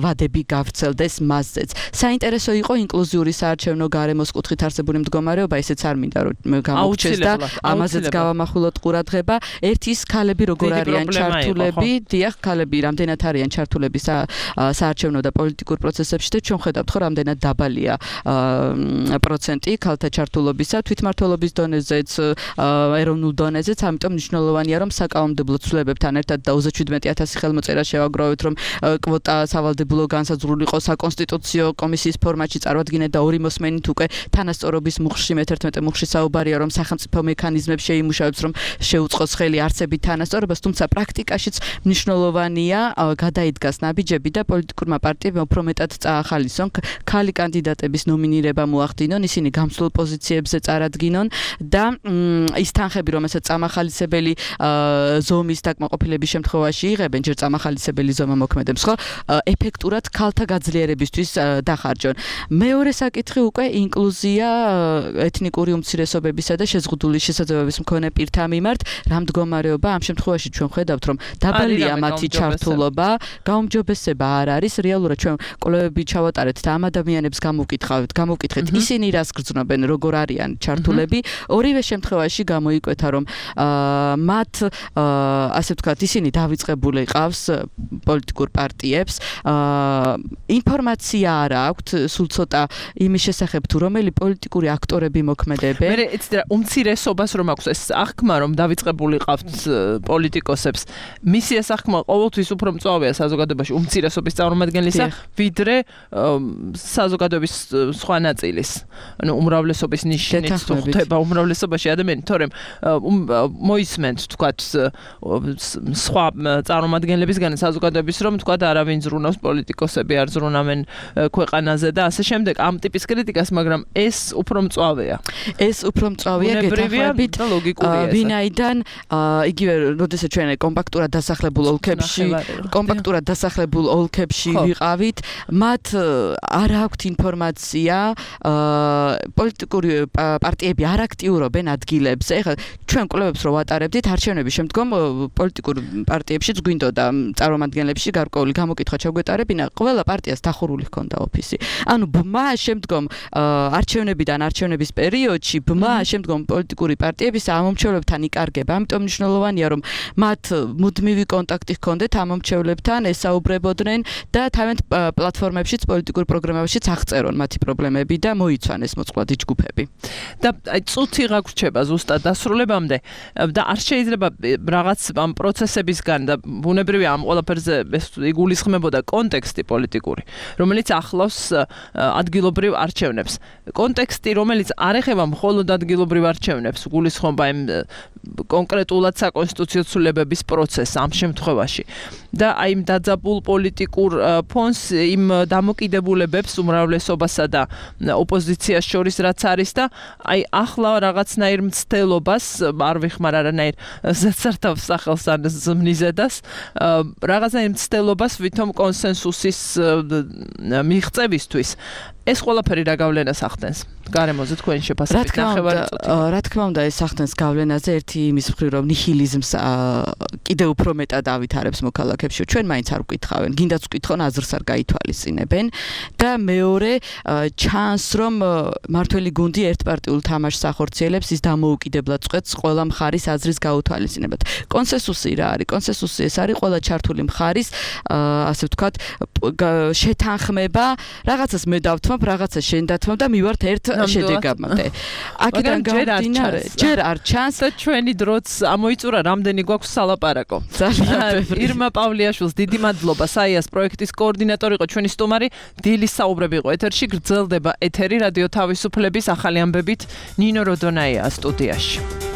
ვადები გავრცელდეს მასზეც. საინტერესო იყო ინკლუზიური საარჩევნო გარემოს კუთხით არსებული მდგომარეობა, ესეც არ მინდა რომ გამოგჩეს და ამაზეც გავამახვილოთ ყურადღება. ერთი ის ქალები როგორ არიან ჩართულები, დიახ, ქალები რამდენად არიან არიან ჩართულები საარჩევნო და პოლიტიკურ პროცესებში და ჩვენ ხედავთ ხო რამდენად დაბალია პროცენტი ქალთა ჩართულობისა თვითმმართველობის დონეზეც ეროვნულ დონეზეც ამიტომ მნიშვნელოვანია რომ საკანონმდებლო ცვლილებებთან ერთად და ოცდაშვიდმეტი ათასი ხელმოწერა შევაგროვეთ რომ კვოტა სავალდებულო განსაზღვრული იყო საკონსტიტუციო კომისიის ფორმატში წარვადგინეთ და ორი მოსმენით უკვე თანასწორობის მუხლში მეთერთმეტე მუხლში საუბარია რომ სახელმწიფო მექანიზმებს შეიმუშავებს რომ შეუწყოს ხელი არსებით თანასწორობას თუმცა პრაქტიკაშიც მნიშვნელოვანია გადაიდგას ნაბიჯები და პოლიტიკურმა პარტიებმა უფრო მეტად წაახალისონ ქალი კანდიდატების ნომინირება მოახდინონ ისინი გამსვლელ პოზიციებზე წარადგინონ და ის თანხები რომელსაც წამახალისებელი ზომის დაკმაყოფილების შემთხვევაში იღებენ ჯერ წამახალისებელი ზომა მოქმედებს ხო ეფექტურად ქალთა გაძლიერებისთვის დახარჯონ მეორე საკითხი უკვე ინკლუზია ეთნიკური უმცირესობებისა და შეზღუდული შესაძლებლობის მქონე პირთა მიმართ რა მდგომარეობა ამ შემთხვევაში ჩვენ ხედავთ რომ დაბალია მათი ჩართულობა გაუმჯობესება არ არის რეალურად ჩვენ კვლევები ჩავატარეთ და ამ ადამიანებს გამოვკითხავთ გამოვკითხეთ ისინი რას გრძნობენ როგორ არიან ჩართულები ორივე შემთხვევაში გამოიკვეთა რომ მათ ასე ვთქვათ ისინი დავიწყებული ყავს პოლიტიკურ პარტიებს ინფორმაცია არ აქვთ სულ ცოტა იმის შესახებ თუ რომელი პოლიტიკური აქტორები მოქმედებენ მე იცი რა უმცირესობას რომ აქვს ეს აღქმა რომ დავიწყებული ყავთ პოლიტიკოსებს მისი ეს აღქმა ყოველთვის უფრო მწვავეა საზოგადოებაში უმცირესობის წარმომადგენლისა ვიდრე საზოგადოების სხვა ნაწილის ანუ უმრავლესობის ნიშნით თუ ხდება უმრავლესობაში ადამიანი თორემ მოისმენთ თქვათ სხვა წარმომადგენლებისგან საზოგადოების რომ თქვათ არავინ ზრუნავს პოლიტიკოსები არ ზრუნავენ ქვეყანაზე და ასე შემდეგ ამ ტიპის კრიტიკას მაგრამ ეს უფრო მწვავეა ეს უფრო მწვავეა გეთანხმებით და ლოგიკურია ვინაიდან იგივე როდესაც ჩვენ კომპაქტურად დასახლებულ ოლქებში კომპაქტურად დასახლებულ ოლქებში ვიყავით მათ არ აქვთ ინფორმაცია პოლიტიკური პარტიები არ აქტიურობენ ადგილებზე ეხლა ჩვენ კვლევებს რო ვატარებდით არჩევნების შემდგომ პოლიტიკურ პარტიებშიც გვინდოდა წარმომადგენლებში გარკვეული გამოკითხვა ჩაგვეტარებინა ყველა პარტიას დახურული ჰქონდა ოფისი ანუ ბმა შემდგომ არჩევნებიდან არჩევნების პერიოდში ბმა შემდგომ პოლიტიკური პარტიების ამომრჩევლებთან იკარგება ამიტომ მნიშვნელოვანია რომ მათ მუდმივი კონტაქტი ჰქონდეთ ამომრჩევლებთან ესაუბრებოდნენ და თავიანთ პლატფორმებშიც პოლიტიკურ პროგრამებშიც აღწერონ მათი პრობლემები და მოიცვან ეს მოწყვლადი ჯგუფები და აი წუთი რა გვრჩება ზუსტად დასრულებამდე და არ შეიძლება რაღაც ამ პროცესებისგან და ბუნებრივია ამ ყველაფერზე იგულისხმებოდა კონტექსტი პოლიტიკური რომელიც ახლავს ადგილობრივ არჩევნებს კონტექსტი რომელიც არ ეხება მხოლოდ ადგილობრივ არჩევნებს გულისხმობა იმ კონკრეტულად საკონსტიტუციო ცვლილებების პროცესს ამ შემთხვევაში და აი იმ დაძაბულ პოლიტიკურ ფონს იმ დამოკიდებულებებს უმრავლესობასა და ოპოზიციას შორის რაც არის და აი ახლა რაღაცნაირ მცდელობას არ ვიხმარ არანაირ ზეცართავს სახელს ან ზმნიზედას რაღაცნაირ მცდელობას ვითომ კონსენსუსის მიღწევისთვის ეს ყველაფერი რა გავლენას ახდენს გარემოზე თქვენი შეფასებით ნახევარი წუთი რა თქმა უნდა ეს ახდენს გავლენაზე ერთი იმის მხრივ რომ ნიჰილიზმს კიდევ უფრო მეტად ავითარებს მოქალაქეებში ჩვენ მაინც არ ვკითხავენ გინდაც ვკითხონ აზრს არ გაითვალისწინებენ და მეორე ჩანს რომ მართველი გუნდი ერთპარტიულ თამაშს ახორციელებს ის დამოუკიდებლად წყვეტს ყველა მხარის აზრის გაუთვალისწინებად კონსენსუსი რა არის კონსენსუსი ეს არის ყველა ჩართული მხარის ასე ვთქვათ შეთანხმება რაღაცას მე დავთმობ რაღაცა შენ დათმობ და მივართ ერთ შედეგამდე აქედან გამომდინარე ჯერ არ ჩანს და ჩვენი დროც ამოიწურა რამდენი გვაქვს სალაპარაკო ირმა პავლიაშვილს დიდი მადლობა საიას პროექტის კოორდინატორი იყო ჩვენი სტუმარი დილის საუბრები იყო ეთერში გრძელდება ეთერი რადიო თავისუფლების ახალი ამბებით ნინო როდონაია სტუდიაში